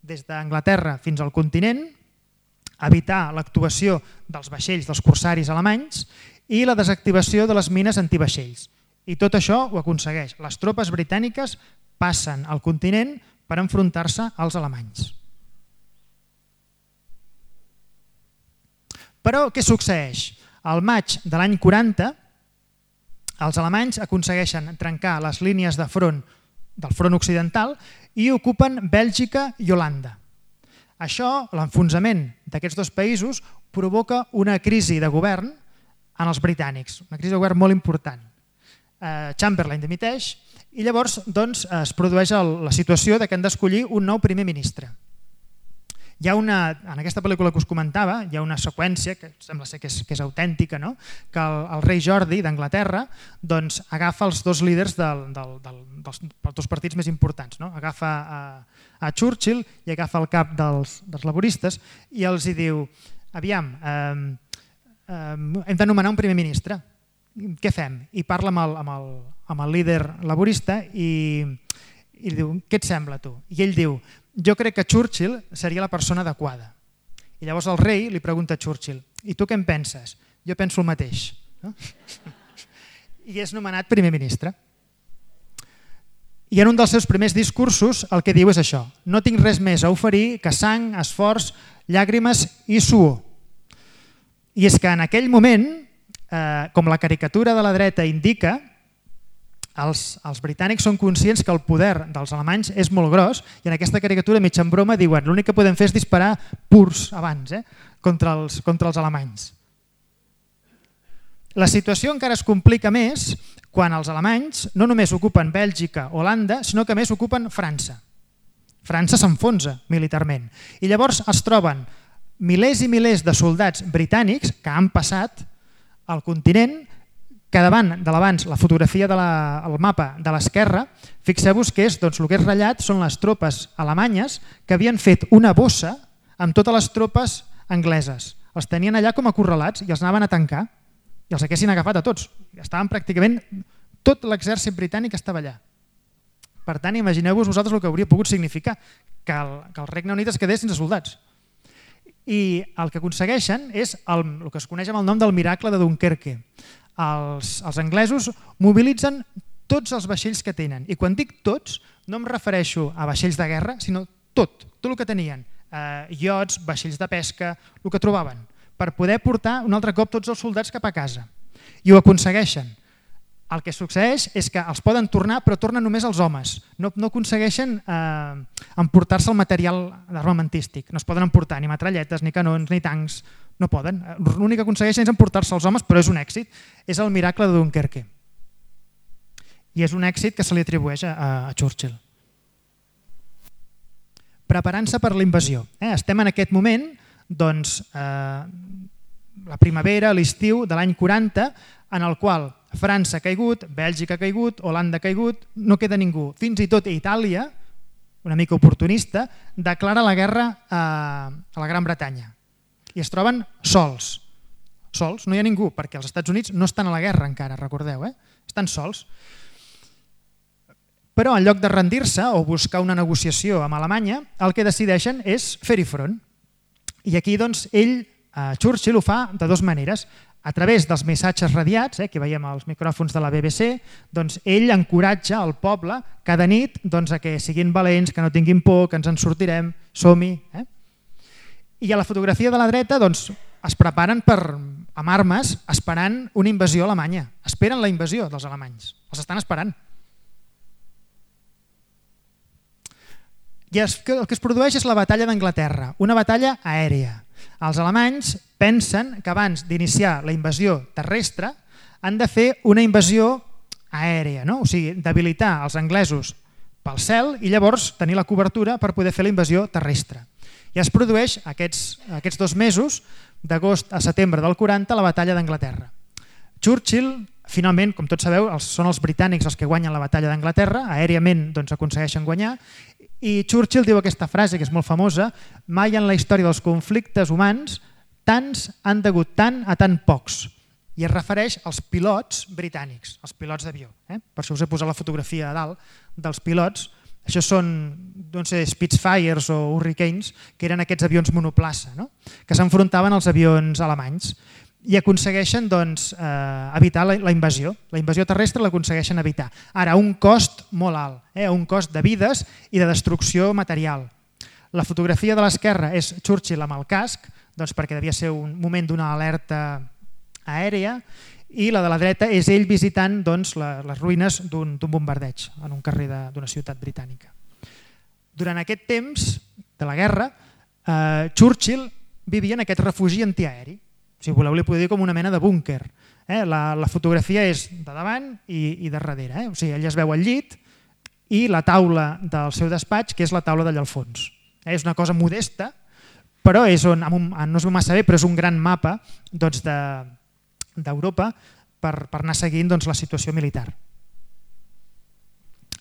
des d'Anglaterra fins al continent, evitar l'actuació dels vaixells dels corsaris alemanys i la desactivació de les mines antivaixells. I tot això ho aconsegueix. Les tropes britàniques passen al continent per enfrontar-se als alemanys. Però què succeeix? Al maig de l'any quaranta, els alemanys aconsegueixen trencar les línies de front del front occidental i ocupen Bèlgica i Holanda. Això, l'enfonsament d'aquests dos països, provoca una crisi de govern en els britànics, una crisi de govern molt important. Chamberlain dimiteix i llavors doncs, es produeix la situació de que han d'escollir un nou primer ministre. Hi ha una, en aquesta pel·lícula que us comentava, hi ha una seqüència que sembla ser que és, que és autèntica, no? Que el, el rei Jordi d'Anglaterra doncs, agafa els dos líders del, del, del, dels, dels dos partits més importants. No? Agafa a, a Churchill i agafa el cap dels, dels laboristes i els hi diu, aviam, eh, eh, hem de nomenar un primer ministre. Què fem? I parla amb el, amb el, amb el líder laborista i, i diu, què et sembla tu? I ell diu, jo crec que Churchill seria la persona adequada. I llavors el rei li pregunta a Churchill, i tu què en penses? Jo penso el mateix. No? I és nomenat primer ministre. I en un dels seus primers discursos el que diu és això, no tinc res més a oferir que sang, esforç, llàgrimes i suor. I és que en aquell moment, Eh, com la caricatura de la dreta indica, els, els britànics són conscients que el poder dels alemanys és molt gros i en aquesta caricatura, mig en broma, diuen l'únic que podem fer és disparar purs abans eh, contra, els, contra els alemanys. La situació encara es complica més quan els alemanys no només ocupen Bèlgica o Holanda, sinó que a més ocupen França. França s'enfonsa militarment. I llavors es troben milers i milers de soldats britànics que han passat al continent, que davant de l'abans la fotografia del de mapa de l'esquerra, fixeu-vos que és, doncs, el que és ratllat són les tropes alemanyes que havien fet una bossa amb totes les tropes angleses. Els tenien allà com acorralats i els anaven a tancar i els haguessin agafat a tots. Estaven pràcticament, tot l'exèrcit britànic estava allà. Per tant, imagineu-vos vosaltres el que hauria pogut significar que el, que el Regne Unit es quedés sense soldats. I el que aconsegueixen és el, el que es coneix amb el nom del miracle de Dunkerque. Els, els anglesos mobilitzen tots els vaixells que tenen. I quan dic tots, no em refereixo a vaixells de guerra, sinó tot, tot el que tenien, eh, iots, vaixells de pesca, el que trobaven, per poder portar un altre cop tots els soldats cap a casa. I ho aconsegueixen. El que succeeix és que els poden tornar, però tornen només els homes. No, no aconsegueixen eh, emportar-se el material armamentístic. No es poden emportar ni metralletes, ni canons, ni tancs. No poden. L'únic que aconsegueixen és emportar-se els homes, però és un èxit. És el miracle de Dunkerque. I és un èxit que se li atribueix a, a Churchill. Preparant-se per la invasió. Eh? Estem en aquest moment, doncs, eh, la primavera, l'estiu de l'any quaranta, en el qual França ha caigut, Bèlgica ha caigut, Holanda ha caigut, no queda ningú. Fins i tot Itàlia, una mica oportunista, declara la guerra a, a la Gran Bretanya. I es troben sols. Sols, no hi ha ningú, perquè els Estats Units no estan a la guerra encara, recordeu, eh? Estan sols. Però en lloc de rendir-se o buscar una negociació amb Alemanya, el que decideixen és fer-hi front. I aquí, doncs, ell, eh, Churchill, ho fa de dues maneres. A través dels missatges radiats, eh, que veiem als micròfons de la B B C, doncs ell encoratja el poble cada nit doncs, a que siguin valents, que no tinguin por, que ens en sortirem, som-hi. Eh? I a la fotografia de la dreta doncs, es preparen per, amb armes esperant una invasió alemanya. Esperen la invasió dels alemanys. Els estan esperant. I el que es produeix és la batalla d'Anglaterra, una batalla aèria. Els alemanys pensen que abans d'iniciar la invasió terrestre han de fer una invasió aèria, no? O sigui, debilitar els anglesos pel cel i llavors tenir la cobertura per poder fer la invasió terrestre. I es produeix aquests, aquests dos mesos, d'agost a setembre del quaranta, la batalla d'Anglaterra. Churchill, finalment, com tots sabeu, els, són els britànics els que guanyen la batalla d'Anglaterra, aèriament doncs, aconsegueixen guanyar, i Churchill diu aquesta frase que és molt famosa: mai en la història dels conflictes humans tants han degut tant a tan pocs. I es refereix als pilots britànics, als pilots d'avió. Eh? Per això us he posat la fotografia a dalt dels pilots. Això són no sé, Spitfires o Hurricanes, que eren aquests avions monoplaça, no? Que s'enfrontaven als avions alemanys i aconsegueixen doncs, eh, evitar la, la invasió. La invasió terrestre l'aconsegueixen evitar. Ara, a un cost molt alt, eh, a un cost de vides i de destrucció material. La fotografia de l'esquerra és Churchill amb el casc, doncs perquè devia ser un moment d'una alerta aèria, i la de la dreta és ell visitant doncs, la, les ruïnes d'un bombardeig en un carrer d'una ciutat britànica. Durant aquest temps de la guerra, eh, Churchill vivia en aquest refugi antiaeri. Si voleu li podeu dir com una mena de búnquer. Eh? La, la fotografia és de davant i, i de darrere. Eh? O sigui, ell es veu al llit i la taula del seu despatx, que és la taula d'allà al fons. Eh? És una cosa modesta, però és on, no es veu massa bé, però és un gran mapa doncs, de d'Europa per, per anar seguint doncs, la situació militar.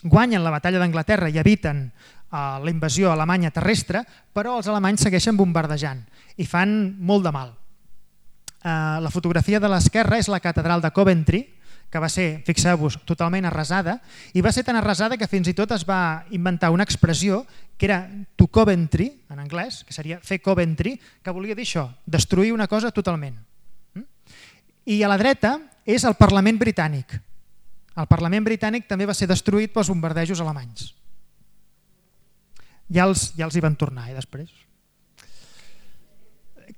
Guanyen la batalla d'Anglaterra i eviten uh, la invasió alemanya terrestre, però els alemanys segueixen bombardejant i fan molt de mal. Uh, la fotografia de l'esquerra és la catedral de Coventry, que va ser, fixeu-vos, totalment arrasada, i va ser tan arrasada que fins i tot es va inventar una expressió que era to Coventry, en anglès, que seria fer Coventry, que volia dir això, destruir una cosa totalment. I a la dreta és el Parlament britànic. El Parlament britànic també va ser destruït pels bombardejos alemanys. Ja els, ja els hi van tornar, eh, després.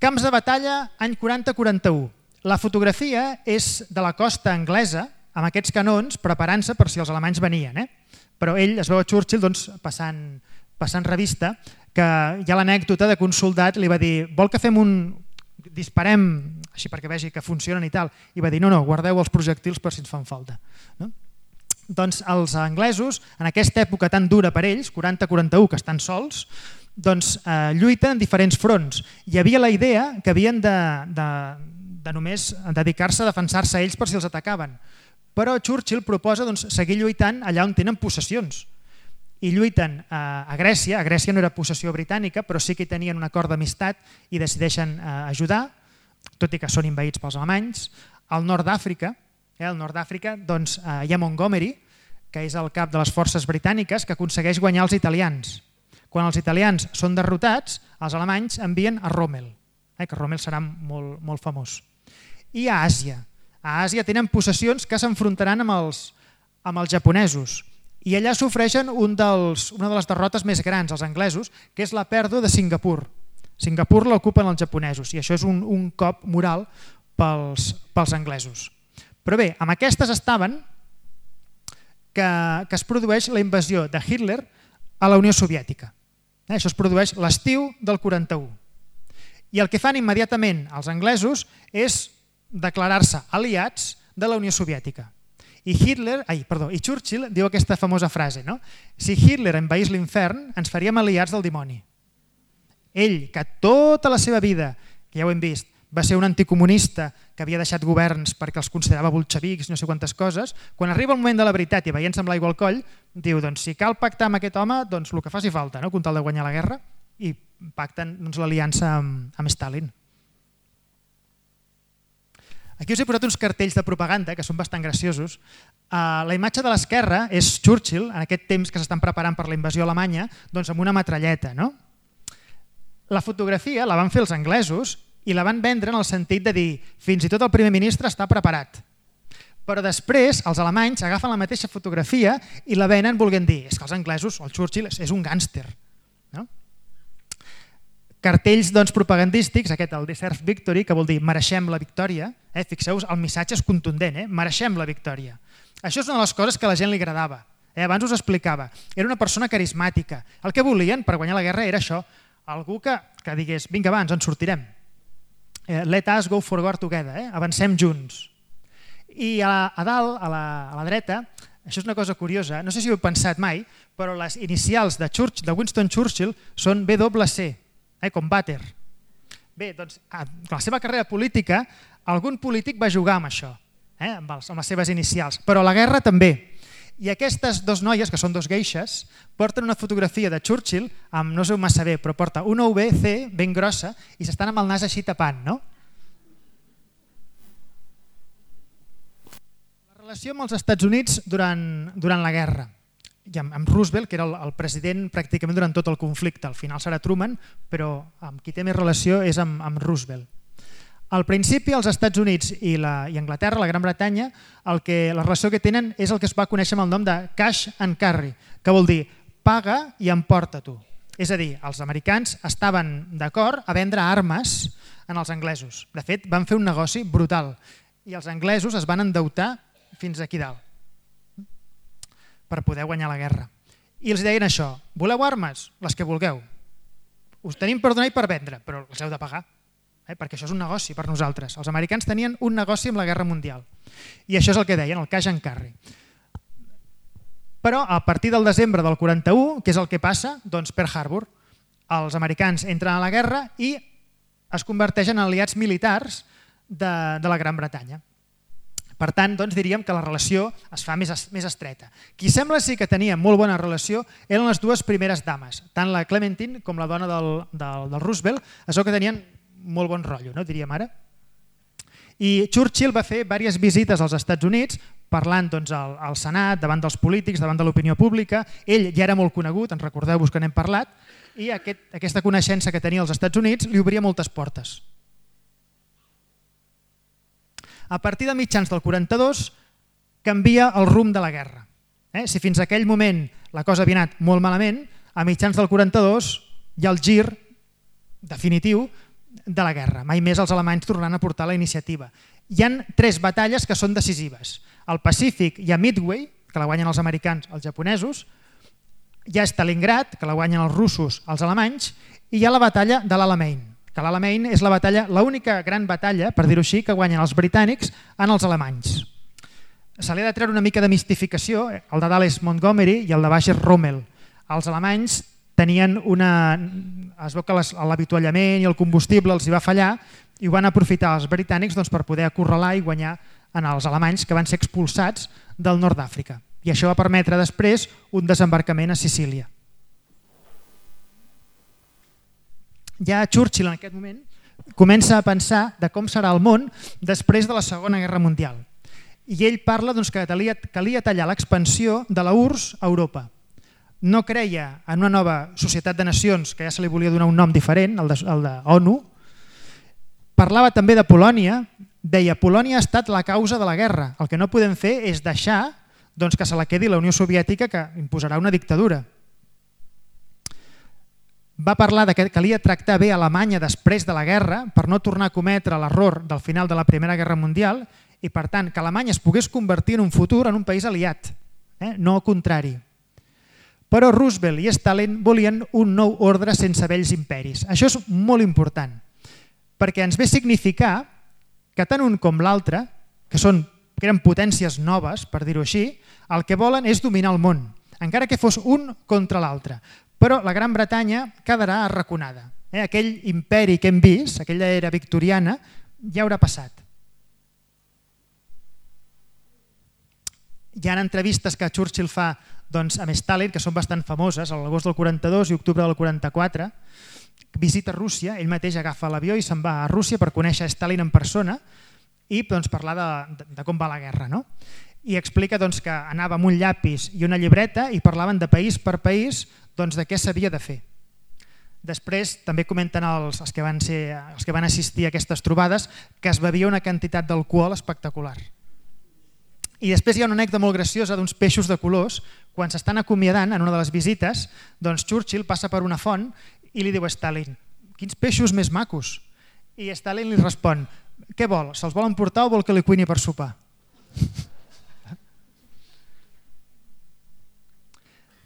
Camps de batalla, any quaranta quaranta-u. La fotografia és de la costa anglesa, amb aquests canons, preparant-se per si els alemanys venien. Eh? Però ell es veu a Churchill doncs, passant, passant revista, que hi ha l'anècdota de que un soldat li va dir vol que fem un... disparem així perquè vegi que funcionen i tal, i va dir no, no, guardeu els projectils per si ens fan falta. No? Doncs els anglesos, en aquesta època tan dura per ells, quaranta quaranta-u, que estan sols, doncs eh, lluiten en diferents fronts. Hi havia la idea que havien de, de, de només dedicar-se a defensar-se ells per si els atacaven. Però Churchill proposa doncs, seguir lluitant allà on tenen possessions. I lluiten a, a Grècia, a Grècia no era possessió britànica, però sí que hi tenien un acord d'amistat i decideixen eh, ajudar, tot i que són envaïts pels alemanys. Al nord d'Àfrica, eh, al nord d'Àfrica doncs, eh, hi ha Montgomery, que és el cap de les forces britàniques, que aconsegueix guanyar els italians. Quan els italians són derrotats, els alemanys envien a Rommel, eh, que Rommel serà molt, molt famós. I a Àsia. A Àsia tenen possessions que s'enfrontaran amb els, amb els japonesos. I allà sofreixen un dels, una de les derrotes més grans, els anglesos, que és la pèrdua de Singapur. Singapur l'ocupen els japonesos i això és un, un cop moral pels, pels anglesos. Però bé, amb aquestes estaven que, que es produeix la invasió de Hitler a la Unió Soviètica. Eh, això es produeix l'estiu del quaranta-u. I el que fan immediatament els anglesos és declarar-se aliats de la Unió Soviètica. I Hitler, ai, perdó, i Churchill diu aquesta famosa frase, no? Si Hitler envaís l'infern, ens faríem aliats del dimoni. Ell, que tota la seva vida, que ja ho hem vist, va ser un anticomunista que havia deixat governs perquè els considerava bolxevics, no sé quantes coses, quan arriba el moment de la veritat i veient-se amb l'aigua al coll, diu, doncs si cal pactar amb aquest home, doncs el que faci falta, no? Com tal de guanyar la guerra, i pacten doncs, l'aliança amb, amb Stalin. Aquí us he posat uns cartells de propaganda que són bastant graciosos. Uh, la imatge de l'esquerra és Churchill, en aquest temps que s'estan preparant per la invasió alemanya, doncs amb una metralleta. No? La fotografia la van fer els anglesos i la van vendre en el sentit de dir fins i tot el primer ministre està preparat. Però després els alemanys agafen la mateixa fotografia i la venen volent dir és que els anglesos, o el Churchill, és un gàngster. No? Cartells doncs, propagandístics, aquest el Deserve Victory, que vol dir mereixem la victòria. Eh? Fixeu-vos, el missatge és contundent, eh? Mereixem la victòria. Això és una de les coses que a la gent li agradava. Eh? Abans us explicava. Era una persona carismàtica. El que volien per guanyar la guerra era això. Algú que, que digués, vinga va, ens en sortirem. Eh, let us go forward together, eh? Avancem junts. I a, a dalt, a la, a la dreta, això és una cosa curiosa, no sé si ho heu pensat mai, però les inicials de, Churchill, de Winston Churchill són B W C. Eh, com vàter. Bé, doncs, a la seva carrera política, algun polític va jugar amb això, eh, amb, els, amb les seves inicials, però a la guerra també. I aquestes dues noies, que són dos geixes, porten una fotografia de Churchill, amb, no sé massa bé, però porta una U V C ben grossa i s'estan amb el nas així tapant, no? La relació amb els Estats Units durant, durant la guerra. I amb, amb Roosevelt, que era el, el president pràcticament durant tot el conflicte. Al final serà Truman, però amb qui té més relació és amb, amb Roosevelt. Al principi, els Estats Units i, la, i Anglaterra, la Gran Bretanya, el que, la relació que tenen és el que es va conèixer amb el nom de cash and carry, que vol dir paga i emporta tu. És a dir, els americans estaven d'acord a vendre armes en els anglesos. De fet, van fer un negoci brutal i els anglesos es van endeutar fins aquí dalt per poder guanyar la guerra. I els deien això, voleu armes? Les que vulgueu. Us tenim per donar i per vendre, però els heu de pagar, eh? Perquè això és un negoci per nosaltres. Els americans tenien un negoci amb la Guerra Mundial. I això és el que deien, el cash and carry. Però a partir del desembre del quaranta-u, què és el que passa? Doncs Pearl Harbor. Els americans entren a la guerra i es converteixen en aliats militars de, de la Gran Bretanya. Per tant, doncs, diríem que la relació es fa més, més estreta. Qui sembla sí que tenia molt bona relació eren les dues primeres dames, tant la Clementine com la dona del, del, del Roosevelt, això que tenien molt bon rotllo, no? Diríem ara. I Churchill va fer diverses visites als Estats Units, parlant doncs, al, al Senat, davant dels polítics, davant de l'opinió pública. Ell ja era molt conegut, ens recordeu-vos que n'hem parlat, i aquest, aquesta coneixença que tenia als Estats Units li obria moltes portes. A partir de mitjans del quaranta-dos canvia el rumb de la guerra. Eh? Si fins a aquell moment la cosa havia anat molt malament, a mitjans del quaranta-dos hi ha el gir definitiu de la guerra. Mai més els alemanys tornaran a portar la iniciativa. Hi ha tres batalles que són decisives. Al Pacífic hi ha Midway, que la guanyen els americans, els japonesos, hi ha Stalingrad, que la guanyen els russos, els alemanys, i hi ha la batalla de l'Alamein, que l'Alamein és la batalla, l'única gran batalla, per dir-ho així, que guanyen els britànics en els alemanys. Se li ha de treure una mica de mistificació, el de dalt és Montgomery i el de baix és Rommel. Els alemanys tenien una... es veu que l'avituallament i el combustible els hi va fallar i ho van aprofitar els britànics doncs, per poder acorralar i guanyar en els alemanys que van ser expulsats del nord d'Àfrica. I això va permetre després un desembarcament a Sicília. Ja Churchill en aquest moment comença a pensar de com serà el món després de la Segona Guerra Mundial. I ell parla doncs, que calia, calia tallar l'expansió de la U R S S a Europa. No creia en una nova societat de nacions, que ja se li volia donar un nom diferent, el de, el de ONU. Parlava també de Polònia, deia Polònia ha estat la causa de la guerra. El que no podem fer és deixar doncs que se la quedi la Unió Soviètica, que imposarà una dictadura. Va parlar de que calia tractar bé Alemanya després de la guerra per no tornar a cometre l'error del final de la Primera Guerra Mundial i, per tant, que Alemanya es pogués convertir en un futur en un país aliat, eh? no al contrari. Però Roosevelt i Stalin volien un nou ordre sense vells imperis. Això és molt important, perquè ens ve a significar que tant un com l'altre, que, són, que eren potències noves, per dir-ho així, el que volen és dominar el món, encara que fos un contra l'altre. Però la Gran Bretanya quedarà arraconada. Eh? Aquell imperi que hem vist, aquella era victoriana, ja haurà passat. Hi ha entrevistes que Churchill fa doncs, amb Stalin, que són bastant famoses, a l'agost del quaranta-dos i octubre del quaranta-quatre, visita Rússia, ell mateix agafa l'avió i se'n va a Rússia per conèixer Stalin en persona i doncs, parlar de, de, de com va la guerra. No? I explica doncs, que anava amb un llapis i una llibreta i parlaven de país per país doncs, de què s'havia de fer. Després també comenten els, els, que van ser, els que van assistir a aquestes trobades que es bevia una quantitat d'alcohol espectacular. I després hi ha una anècdota molt graciosa d'uns peixos de colors. Quan s'estan acomiadant en una de les visites, doncs Churchill passa per una font i li diu a Stalin: quins peixos més macos. I Stalin li respon: què vol? Se'ls vol emportar o vol que li cuini per sopar?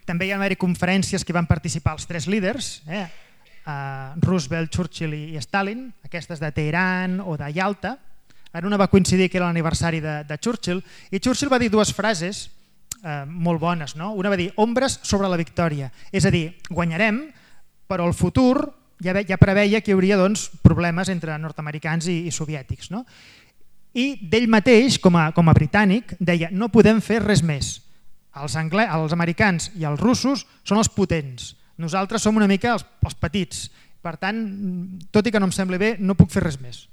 També hi ha haver conferències que van participar els tres líders, eh? uh, Roosevelt, Churchill i Stalin, aquestes de Teheran o de Yalta. En una va coincidir que era l'aniversari de, de Churchill, i Churchill va dir dues frases eh, molt bones. No? Una va dir: ombres sobre la victòria. És a dir, guanyarem, però el futur ja, ve, ja preveia que hi hauria doncs, problemes entre nord-americans i, i soviètics. No? I d'ell mateix, com a, com a britànic, deia: no podem fer res més. Els, anglès, els americans i els russos són els potents. Nosaltres som una mica els, els petits. Per tant, tot i que no em sembli bé, no puc fer res més.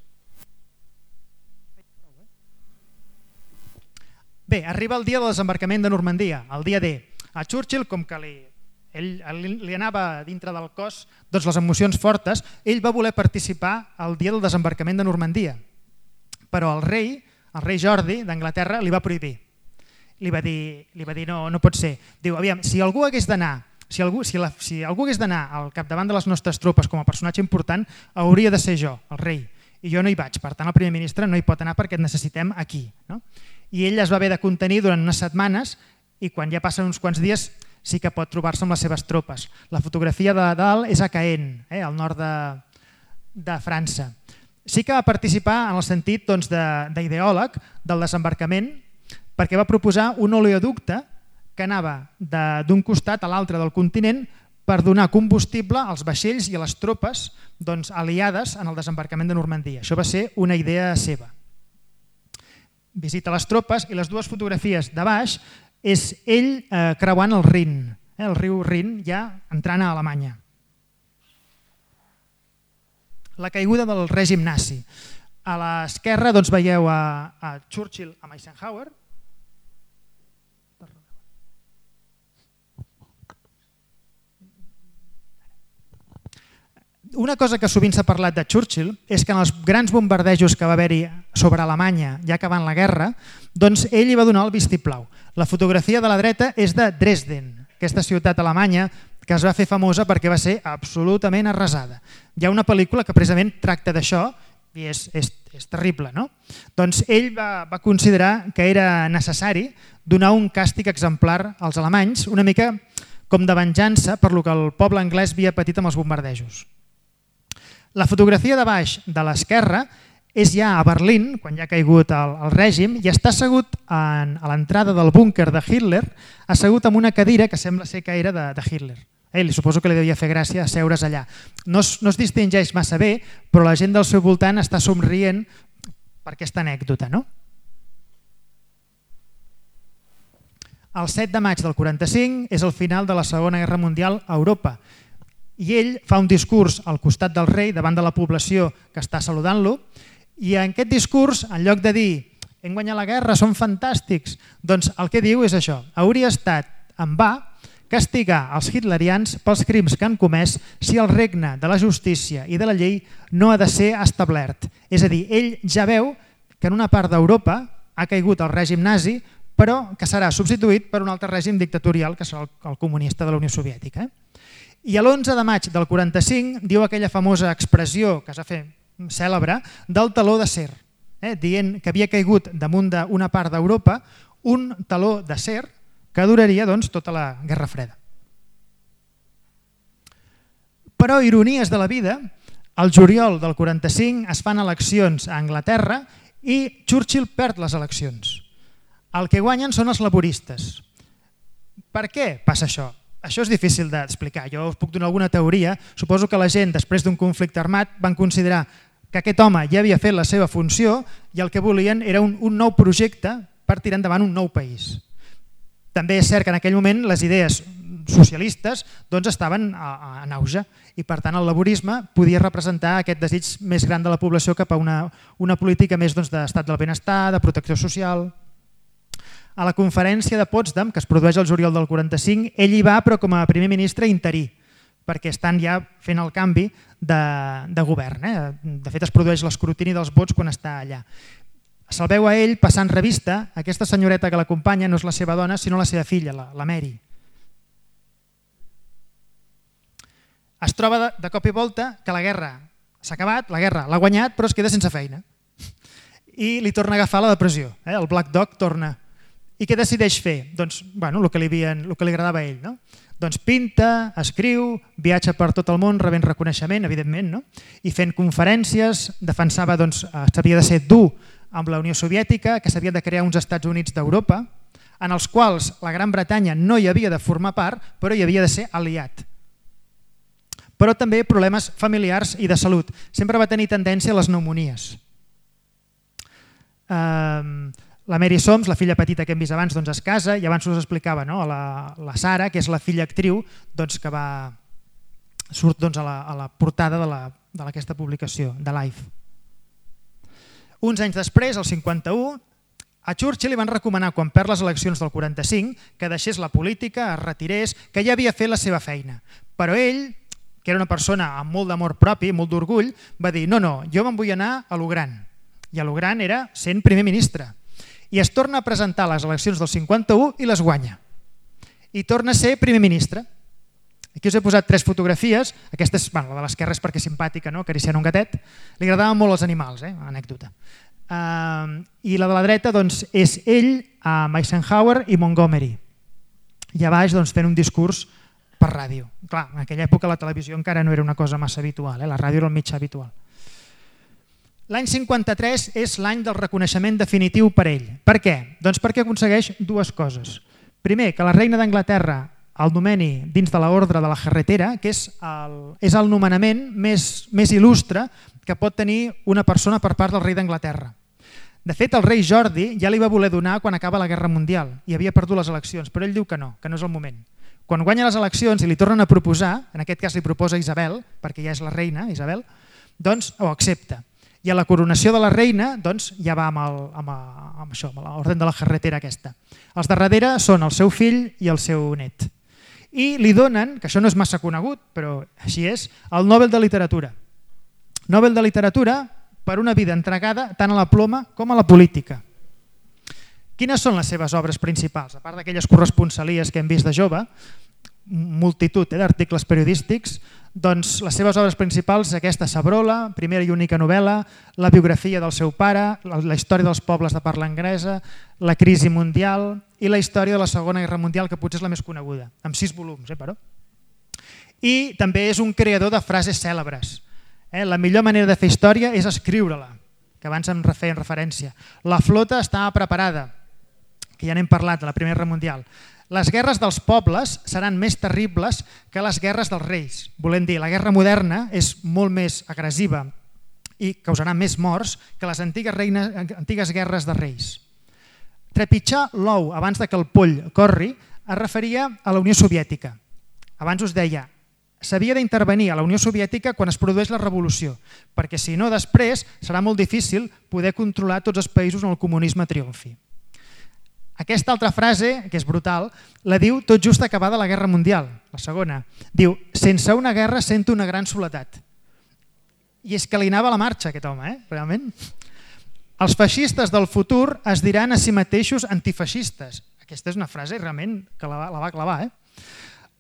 Bé, arriba el dia del desembarcament de Normandia, el dia D. A Churchill, com que li, ell, li anava dintre del cos doncs les emocions fortes, ell va voler participar al dia del desembarcament de Normandia. Però el rei, el rei Jordi d'Anglaterra, li va prohibir. Li va dir, li va dir no, no pot ser. Diu, aviam, si algú hagués d'anar si algú, si la, si algú hagués d'anar al capdavant de les nostres tropes com a personatge important, hauria de ser jo, el rei. I jo no hi vaig, per tant el primer ministre no hi pot anar perquè et necessitem aquí. No? I ell es va haver de contenir durant unes setmanes i quan ja passen uns quants dies sí que pot trobar-se amb les seves tropes. La fotografia de dalt és a Caen, eh, al nord de, de França. Sí que va participar en el sentit doncs, d'ideòleg del desembarcament, perquè va proposar un oleoducte que anava d'un costat a l'altre del continent per donar combustible als vaixells i a les tropes doncs, aliades en el desembarcament de Normandia. Això va ser una idea seva. Visita les tropes i les dues fotografies de baix és ell eh, creuant el Rin, eh, el riu Rin, ja entrant a Alemanya. La caiguda del règim nazi. A l'esquerra doncs, veieu a, a Churchill amb Eisenhower. Una cosa que sovint s'ha parlat de Churchill és que en els grans bombardejos que va haver-hi sobre Alemanya ja acabant la guerra, doncs ell hi va donar el vistiplau. La fotografia de la dreta és de Dresden, aquesta ciutat alemanya que es va fer famosa perquè va ser absolutament arrasada. Hi ha una pel·lícula que precisament tracta d'això i és, és, és terrible. No? Doncs ell va, va considerar que era necessari donar un càstig exemplar als alemanys, una mica com de venjança per lo que el poble anglès havia patit amb els bombardejos. La fotografia de baix de l'esquerra és ja a Berlín, quan ja ha caigut el, el règim, i està assegut en, a l'entrada del búnquer de Hitler, assegut en una cadira que sembla ser que era de, de Hitler. Eh, li suposo que li devia fer gràcia asseure's allà. No es, no es distingeix massa bé, però la gent del seu voltant està somrient per aquesta anècdota. No? El set de maig del quaranta-cinc és el final de la Segona Guerra Mundial a Europa. I ell fa un discurs al costat del rei davant de la població que està saludant-lo i en aquest discurs, en lloc de dir hem guanyat la guerra, som fantàstics, doncs el que diu és això: hauria estat en va castigar els hitlerians pels crims que han comès si el regne de la justícia i de la llei no ha de ser establert. És a dir, ell ja veu que en una part d'Europa ha caigut el règim nazi però que serà substituït per un altre règim dictatorial, que serà el comunista de la Unió Soviètica. I l'onze de maig del quaranta-cinc diu aquella famosa expressió que es va fer cèlebre del taló d'acer, eh, dient que havia caigut damunt d'una part d'Europa un taló d'acer que duraria doncs, tota la Guerra Freda. Però, ironies de la vida, al juliol del quaranta-cinc es fan eleccions a Anglaterra i Churchill perd les eleccions. El que guanyen són els laboristes. Per què passa això? Això és difícil d'explicar. Jo us puc donar alguna teoria. Suposo que la gent, després d'un conflicte armat, van considerar que aquest home ja havia fet la seva funció i el que volien era un, un nou projecte per tirar endavant un nou país. També és cert que en aquell moment les idees socialistes doncs, estaven en auge i per tant el laborisme podia representar aquest desig més gran de la població cap a una, una política més doncs, d'estat del benestar, de protecció social. A la conferència de Potsdam, que es produeix el juliol del quaranta-cinc, ell hi va però com a primer ministre interí, perquè estan ja fent el canvi de, de govern. Eh? De fet es produeix l'escrutini dels vots quan està allà. Se'l veu a ell passant revista, aquesta senyoreta que l'acompanya no és la seva dona sinó la seva filla, la, la Mary. Es troba de, de cop i volta que la guerra s'ha acabat, la guerra l'ha guanyat però es queda sense feina i li torna a agafar la depressió, eh? El Black Dog torna. I què decideix fer? Doncs bueno, el, que li havien, el que li agradava a ell. No? Doncs pinta, escriu, viatja per tot el món rebent reconeixement, evidentment, no? I fent conferències, defensava doncs, que s'havia de ser dur amb la Unió Soviètica, que s'havia de crear uns Estats Units d'Europa, en els quals la Gran Bretanya no hi havia de formar part, però hi havia de ser aliat. Però també problemes familiars i de salut. Sempre va tenir tendència a les pneumonies. Um, La Mary Soms, la filla petita que hem vist abans, doncs es casa i abans us explicava no? la, la Sara, que és la filla actriu doncs, que va, surt doncs, a, la, a la portada d'aquesta publicació, de Life. Uns anys després, el cinquanta-u, a Churchill li van recomanar, quan perd les eleccions del quaranta-cinc, que deixés la política, es retirés, que ja havia fet la seva feina. Però ell, que era una persona amb molt d'amor propi, molt d'orgull, va dir no, no, jo me'n vull anar a lo gran. I a lo gran era sent primer ministre. I es torna a presentar a les eleccions del cinquanta-u i les guanya. I torna a ser primer ministre. Aquí us he posat tres fotografies. Aquesta és bueno, la de l'esquerra és perquè és simpàtica, no? Acariciant un gatet. Li agradaven molt els animals, eh? Anècdota. Uh, I la de la dreta doncs, és ell amb Eisenhower i Montgomery. I a baix doncs, fent un discurs per ràdio. Clar, en aquella època la televisió encara no era una cosa massa habitual, eh? La ràdio era el mitjà habitual. L'any cinquanta-tres és l'any del reconeixement definitiu per ell. Per què? Doncs perquè aconsegueix dues coses. Primer, que la reina d'Anglaterra el nomeni dins de l'ordre de la Jarretera, que és el, és el nomenament més, més il·lustre que pot tenir una persona per part del rei d'Anglaterra. De fet, el rei Jordi ja li va voler donar quan acaba la Guerra Mundial i havia perdut les eleccions, però ell diu que no, que no és el moment. Quan guanya les eleccions i li tornen a proposar, en aquest cas li proposa Isabel, perquè ja és la reina, Isabel, doncs ho accepta. I a la coronació de la reina doncs, ja va amb, el, amb, amb això, amb l'ordre de la Jarretera aquesta. Els de darrere són el seu fill i el seu net. I li donen, que això no és massa conegut, però així és, el Nobel de Literatura. Nobel de Literatura per una vida entregada tant a la ploma com a la política. Quines són les seves obres principals? A part d'aquelles corresponsalies que hem vist de jove, multitud eh, d'articles periodístics, doncs les seves obres principals aquesta Sabrola, primera i única novel·la, la biografia del seu pare, la, la història dels pobles de parla anglesa, la crisi mundial i la història de la Segona Guerra Mundial, que potser és la més coneguda, amb sis volums, eh, però. I també és un creador de frases cèlebres. Eh? La millor manera de fer història és escriure-la, que abans em feien referència. La flota estava preparada, que ja n'hem parlat, de la Primera Guerra Mundial. Les guerres dels pobles seran més terribles que les guerres dels reis. Volem dir, la guerra moderna és molt més agressiva i causarà més morts que les antigues, reines, antigues guerres de reis. Trepitjar l'ou abans de que el poll corri es referia a la Unió Soviètica. Abans us deia, s'havia d'intervenir a la Unió Soviètica quan es produeix la revolució, perquè si no després serà molt difícil poder controlar tots els països on el comunisme triomfi. Aquesta altra frase, que és brutal, la diu tot just acabada la Guerra Mundial, la segona. Diu, sense una guerra sento una gran soledat. I és que li anava a la marxa aquest home, eh? Realment. Els feixistes del futur es diran a si mateixos antifeixistes. Aquesta és una frase realment que la, la va clavar. Eh?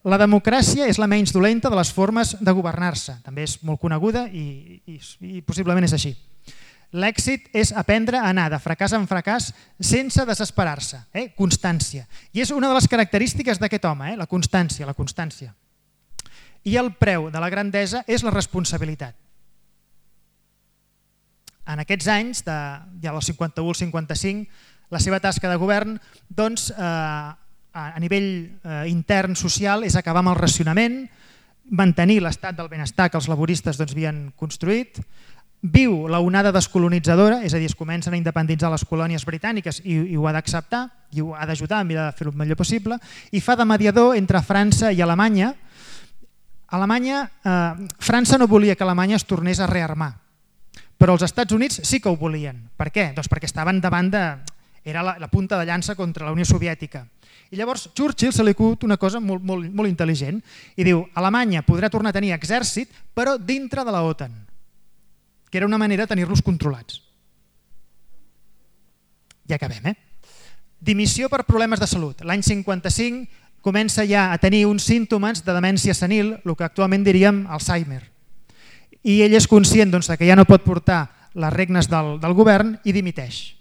La democràcia és la menys dolenta de les formes de governar-se. També és molt coneguda i, i, i possiblement és així. L'èxit és aprendre a anar de fracàs en fracàs sense desesperar-se. Eh? Constància. I és una de les característiques d'aquest home, eh? la constància, la constància. I el preu de la grandesa és la responsabilitat. En aquests anys, de, ja del cinquanta-u al cinquanta-cinc, la seva tasca de govern, doncs, eh, a nivell eh, intern social, és acabar amb el racionament, mantenir l'estat del benestar que els laboristes doncs, havien construït, viu la onada descolonitzadora, és a dir, es comencen a independitzar les colònies britàniques i, i ho ha d'acceptar, i ho ha d'ajudar a mirar de fer-ho el millor possible, i fa de mediador entre França i Alemanya. Alemanya, eh, França no volia que Alemanya es tornés a rearmar, però els Estats Units sí que ho volien. Per què? Doncs perquè estaven davant de... era la, la punta de llança contra la Unió Soviètica. I llavors Churchill se li acut una cosa molt, molt, molt intel·ligent i diu: Alemanya podrà tornar a tenir exèrcit, però dintre de la OTAN, que era una manera de tenir-los controlats. Ja acabem, eh? Dimissió per problemes de salut. L'any cinquanta-cinc comença ja a tenir uns símptomes de demència senil, el que actualment diríem Alzheimer. I ell és conscient doncs, que ja no pot portar les regnes del, del govern i dimiteix.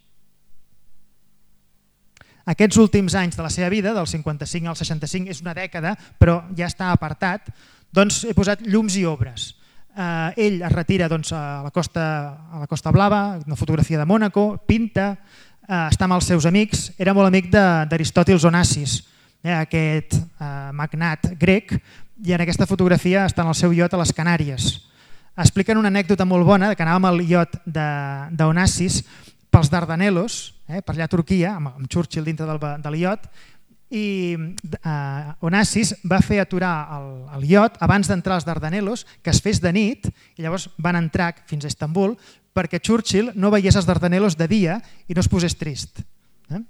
Aquests últims anys de la seva vida, del cinquanta-cinc al seixanta-cinc, és una dècada, però ja està apartat, doncs he posat llums i obres. Eh, ell es retira doncs, a, la costa, a la Costa Blava, una fotografia de Mònaco, pinta, eh, està amb els seus amics, era molt amic d'Aristòtil Onassis, eh, aquest eh, magnat grec, i en aquesta fotografia està en el seu iot a les Canàries. Expliquen una anècdota molt bona que anàvem al iot d'Onassis pels Dardanelos, eh, per allà a Turquia, amb, amb Churchill dintre del, del iot, i eh, Onassis va fer aturar el, el iot abans d'entrar als Dardanelos, que es fes de nit, i llavors van entrar fins a Istanbul perquè Churchill no veiés els Dardanelos de dia i no es posés trist. Eh?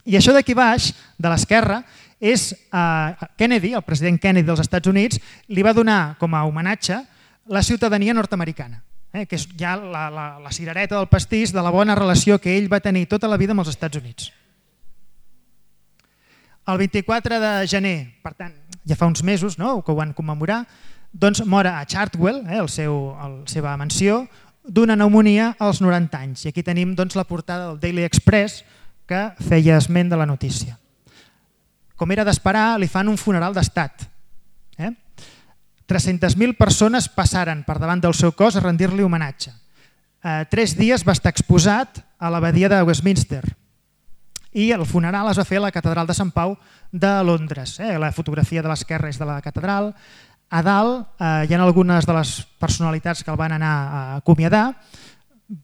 I això d'aquí baix, de l'esquerra, és eh, Kennedy, el president Kennedy dels Estats Units, li va donar com a homenatge la ciutadania nord-americana, eh, que és ja la, la, la cirereta del pastís de la bona relació que ell va tenir tota la vida amb els Estats Units. El vint-i-quatre de gener, per tant, ja fa uns mesos, no?, que ho van commemorar, doncs mor a Chartwell, eh, el seu, el, la seva mansió, d'una pneumonia als noranta anys. I aquí tenim doncs, la portada del Daily Express que feia esment de la notícia. Com era d'esperar, li fan un funeral d'estat. Eh? tres-centes mil persones passaren per davant del seu cos a rendir-li homenatge. Eh, tres dies va estar exposat a l'abadia de Westminster i el funeral es va fer a la catedral de Sant Pau de Londres. Eh? La fotografia de l'esquerra és de la catedral. A dalt eh, hi ha algunes de les personalitats que el van anar a acomiadar.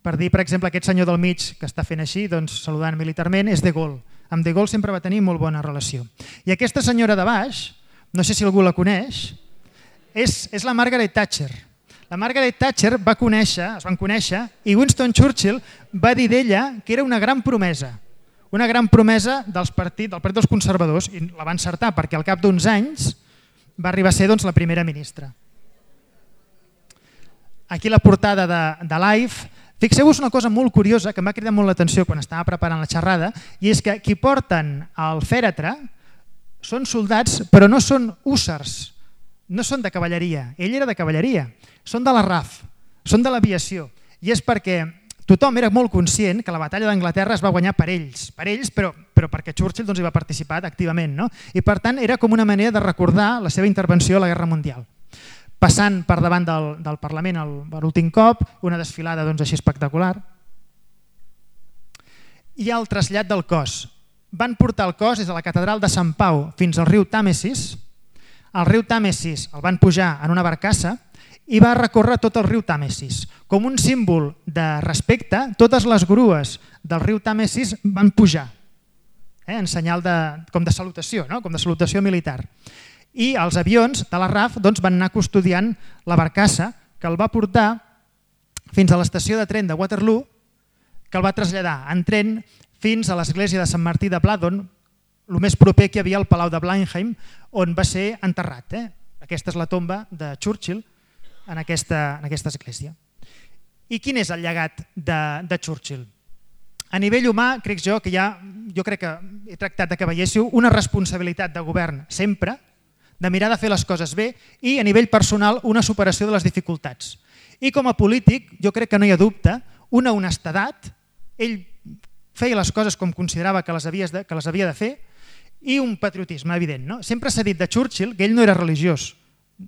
Per dir, per exemple, aquest senyor del mig que està fent així, doncs, saludant militarment, és De Gaulle. Amb De Gaulle sempre va tenir molt bona relació. I aquesta senyora de baix, no sé si algú la coneix, és, és la Margaret Thatcher. La Margaret Thatcher va conèixer, es van conèixer, i Winston Churchill va dir d'ella que era una gran promesa, una gran promesa dels partit, del Partit dels Conservadors, i la va encertar perquè al cap d'uns anys va arribar a ser doncs, la primera ministra. Aquí la portada de, de Life. Fixeu-vos una cosa molt curiosa que m'ha cridat molt l'atenció quan estava preparant la xerrada, i és que qui porten el fèretre són soldats, però no són hússars, no són de cavalleria. Ell era de cavalleria, són de la R A F, són de l'aviació, i és perquè tothom era molt conscient que la batalla d'Anglaterra es va guanyar per ells, per ells però, però perquè Churchill doncs, hi va participar activament, no? I per tant era com una manera de recordar la seva intervenció a la Guerra Mundial. Passant per davant del, del Parlament el, per l'últim cop, una desfilada doncs, així espectacular. I el trasllat del cos. Van portar el cos des de la catedral de Sant Pau fins al riu Tàmesis. El riu Tàmesis el van pujar en una barcassa i va recórrer tot el riu Tàmesis. Com un símbol de respecte, totes les grues del riu Tàmesis van pujar, eh, en senyal de, com de salutació, no? Com de salutació militar. I els avions de la R A F doncs, van anar custodiant la barcassa que el va portar fins a l'estació de tren de Waterloo, que el va traslladar en tren fins a l'església de Sant Martí de Bladon, el més proper que hi havia al Palau de Blenheim, on va ser enterrat. Eh? Aquesta és la tomba de Churchill en aquesta, en aquesta església. I quin és el llegat de, de Churchill? A nivell humà, crec jo que ja, jo crec que he tractat de que veiéssiu una responsabilitat de govern sempre, de mirar de fer les coses bé, i a nivell personal una superació de les dificultats. I com a polític, jo crec que no hi ha dubte, una honestedat, ell feia les coses com considerava que les, de, que les havia de fer, i un patriotisme evident. No? Sempre s'ha dit de Churchill que ell no era religiós,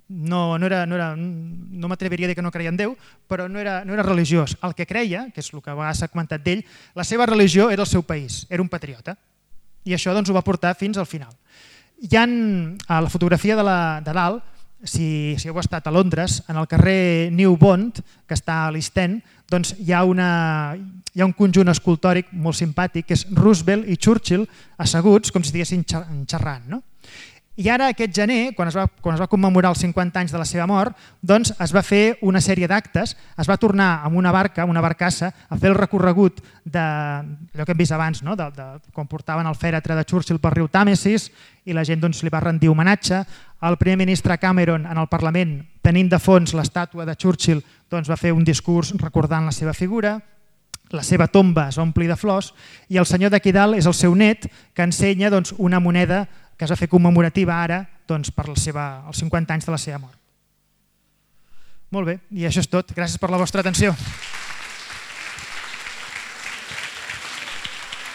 no, no, era, no, era, no m'atreviria a dir que no creia en Déu, però no era, no era religiós. El que creia, que és el que a vegades s'ha comentat d'ell, la seva religió era el seu país, era un patriota. I això doncs, ho va portar fins al final. Hi ha a la fotografia de, la, de dalt, si, si heu estat a Londres, en el carrer New Bond, que està a l'East End, doncs hi ha, una, hi ha un conjunt escultòric molt simpàtic, que és Roosevelt i Churchill asseguts, com si estiguessin xerrant. No? I ara aquest gener, quan es, va, quan es va commemorar els cinquanta anys de la seva mort, doncs es va fer una sèrie d'actes, es va tornar amb una barca, una barcassa, a fer el recorregut de allò que hem vist abans, no? de, de, quan portaven el fèretre de Churchill pel riu Tàmesis i la gent doncs, li va rendir homenatge. El primer ministre Cameron en el Parlament, tenint de fons l'estàtua de Churchill, doncs, va fer un discurs recordant la seva figura, la seva tomba es va omplir de flors i el senyor d'aquí dalt és el seu net que ensenya doncs, una moneda que es va fer commemorativa ara doncs, per la seva, els cinquanta anys de la seva mort. Molt bé, i això és tot. Gràcies per la vostra atenció.